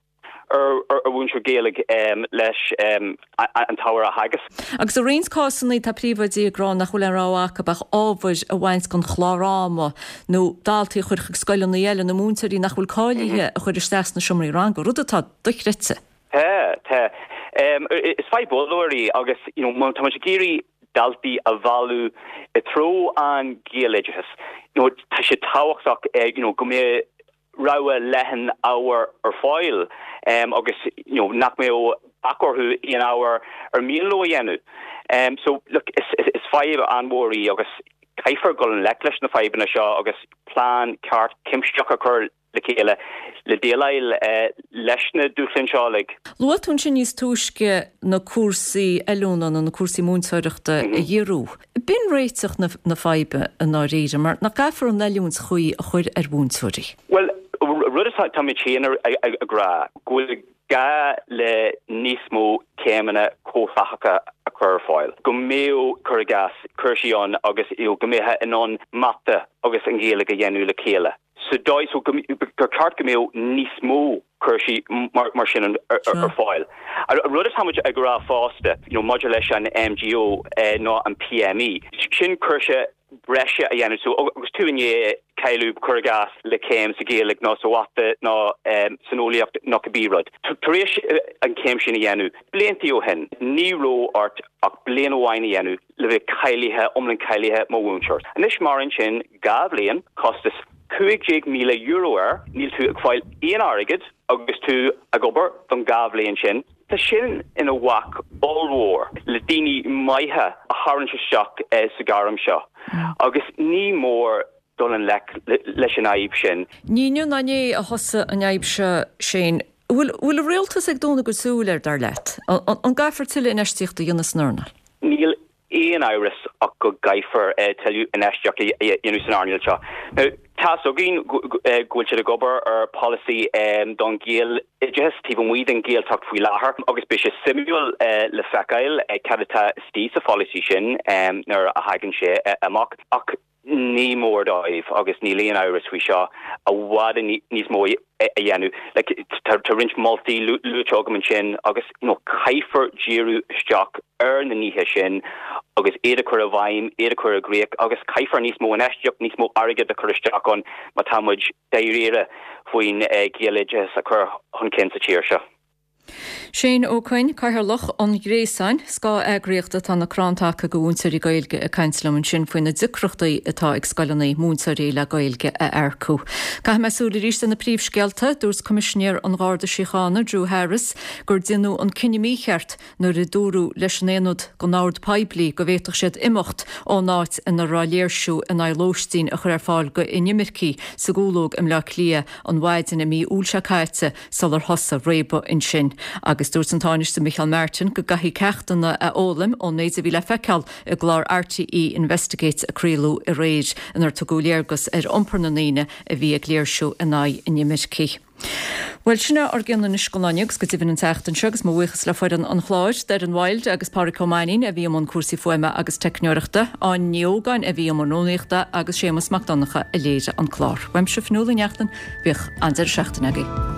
ar ar mhúinteoir Gaeilge leis an t-ábhar a theagasc. Agus i roinnt cásanna tá príomhoidí ag rá nach bhfuil aon rogha acu ach ábhair a bhaint den chlár ama nó daltaí a chur chuig scoileanna eile nó múinteoirí nach bhfuil cáilithe a chur isteach sna seomraí ranga, rud atá dochreidte. Tá, tá. Is fadhb ollmhór í agus you know má tá muid ag iarraidh daltaí a mhealladh i dtreo an Ghaeloideachas, you know tá sé tábhachtach you know go mbeadh rogha leathan ábhar ar fáil agus you know nach mbeadh bac orthu aon ábhar ar mian leo a dhéanamh. So look is is fadhb an-mhór í agus caithfear dul i ngleic leis na fadhbanna seo agus plean ceart cuimsitheach a chur le chéile le déileáil leis na dúshláin seo uilig. Luaigh tú ansin níos túisce na cúrsaí oiliúna nó na cúrsaí múinteoireachta a ghiorrú. B'in réiteach na faidhbe i ndáiríre, mar nach gcaithfear an oiliúint chuí a chur ar mhúinteoirí? Bhuel, rud atá muid féin ag rá, go bhfuil gá le níos mó céimeanna comhtháite a chur ar fáil, go mbeadh, cuir i gcás, cúrsaí ann agus go mbeifeá in ann mata agus an Ghaeilge a dhéanamh le chéile. Sa dóigh so gur ceart go mbeadh níos mó cúrsaí mar sin ar fáil. An rud atá muid ag rá fosta, you know, maidir leis an M G O nó an P M E, sin cúrsa breise a dhéanamh. So agus tú i ndiaidh cáiliú, cuir i gcás, le céim sa Ghaeilge nó sa mhata nó san eolaíocht nó cibé rud. Tar éis an chéim sin a dhéanamh, blianta ó shin, ní raibh ort ach bliain amháin a dhéanamh le bheith cáilithe, iomlán cáilithe mar mhúinteoir. Anois maireann sin dhá bhliain, costas cúig déag míle euro air, níl tú ag fáil aon airgead agus tú ag obair don dhá bhliain sin. Tá sin ina bhac ollmhór le daoine maithe a tharraingt isteach sa ghairm seo agus ní mór dul i ngleic leis an fhadhb sin. Ní inniu ná inné a thosaigh an fhadhb seo, Shane. Bhfuil bhfuil an rialtas ag dúnadh a gcuid súl air, dar leat? An gcaithfear tuilleadh infheistíochta a dhéanamh san earnáil? Níl aon amhras ach go gcaithfear tuilleadh infheistíocht a dhéanamh san earnáil seo. Now, tá's againn go bhfuil siad ag obair ar pholasaí don Ghaeloideachas taobh amuigh den Ghaeltacht faoi láthair agus beidh sé suimiúil le feiceáil cad atá istigh sa pholasaí sin nuair a thagann sé amach. Ach ní mór dóibh, agus níl aon amhras faoi seo, i bhfad níos mó a dhéanamh. Like, tá roinnt moltaí luaite agam ansin agus you know, caithfear díriú isteach ar na nithe sin agus iad a chur i bhfeidhm, iad a chur i gcrích agus caithfear níos mó infheistíocht, níos mó airgead a chur isteach ann má tá muid dáiríre faoin Ghaeloideachas a chur chun cinn sa tír seo. Shane Ó Coinn, Cathaoirleach an Ghréasáin, scáth-eagraíocht atá ina crann taca do mhúinteoirí Gaeilge ag caint liom ansin faoi na deacrachtaí atá ag scoileanna múinteoirí le Gaeilge a earcú. Caithfidh mé súil arís ar na príomhscéalta, dúirt Coimisinéir an Gharda Síochána Drew Harris gur déanadh an cinneadh mícheart nuair a dúradh leis an aonad don ord poiblí go bhféadfadh siad imeacht ón áit ina raibh léirsiú in aghaidh lóistín a chur ar fáil go inimircigh sa gCúlóg i mBleá Cliath an mhaidin i mí Iúil seo caite sular thosaigh réabadh ansin. Agus dúirt an Tánaiste Micheál Martin go gcaithfidh ceachtanna a fhoghlaim ón méid a bhí le feiceáil i gclár R T E Investigates a craoladh aréir inar tugadh léargas ar iompar na ndaoine a bhí ag léirsiú in aghaidh inimircigh. Well sin ár gcionn anois don lá inniu agus go deimhin an tseachtain seo agus mo bhuíochas le foireann an chláir, Darren Wild agus Pádraig Ó Mainnín a bhí i mbun cúrsaí fuaime agus teicneoireachta, Áine Ní Ógáin a bhí i mbun rúnaíochta agus Séamus Mac Donncha a léirigh an clár. Uaimse Fionnuala Ní Neachtain, bíodh an deireadh seachtaine agaibh.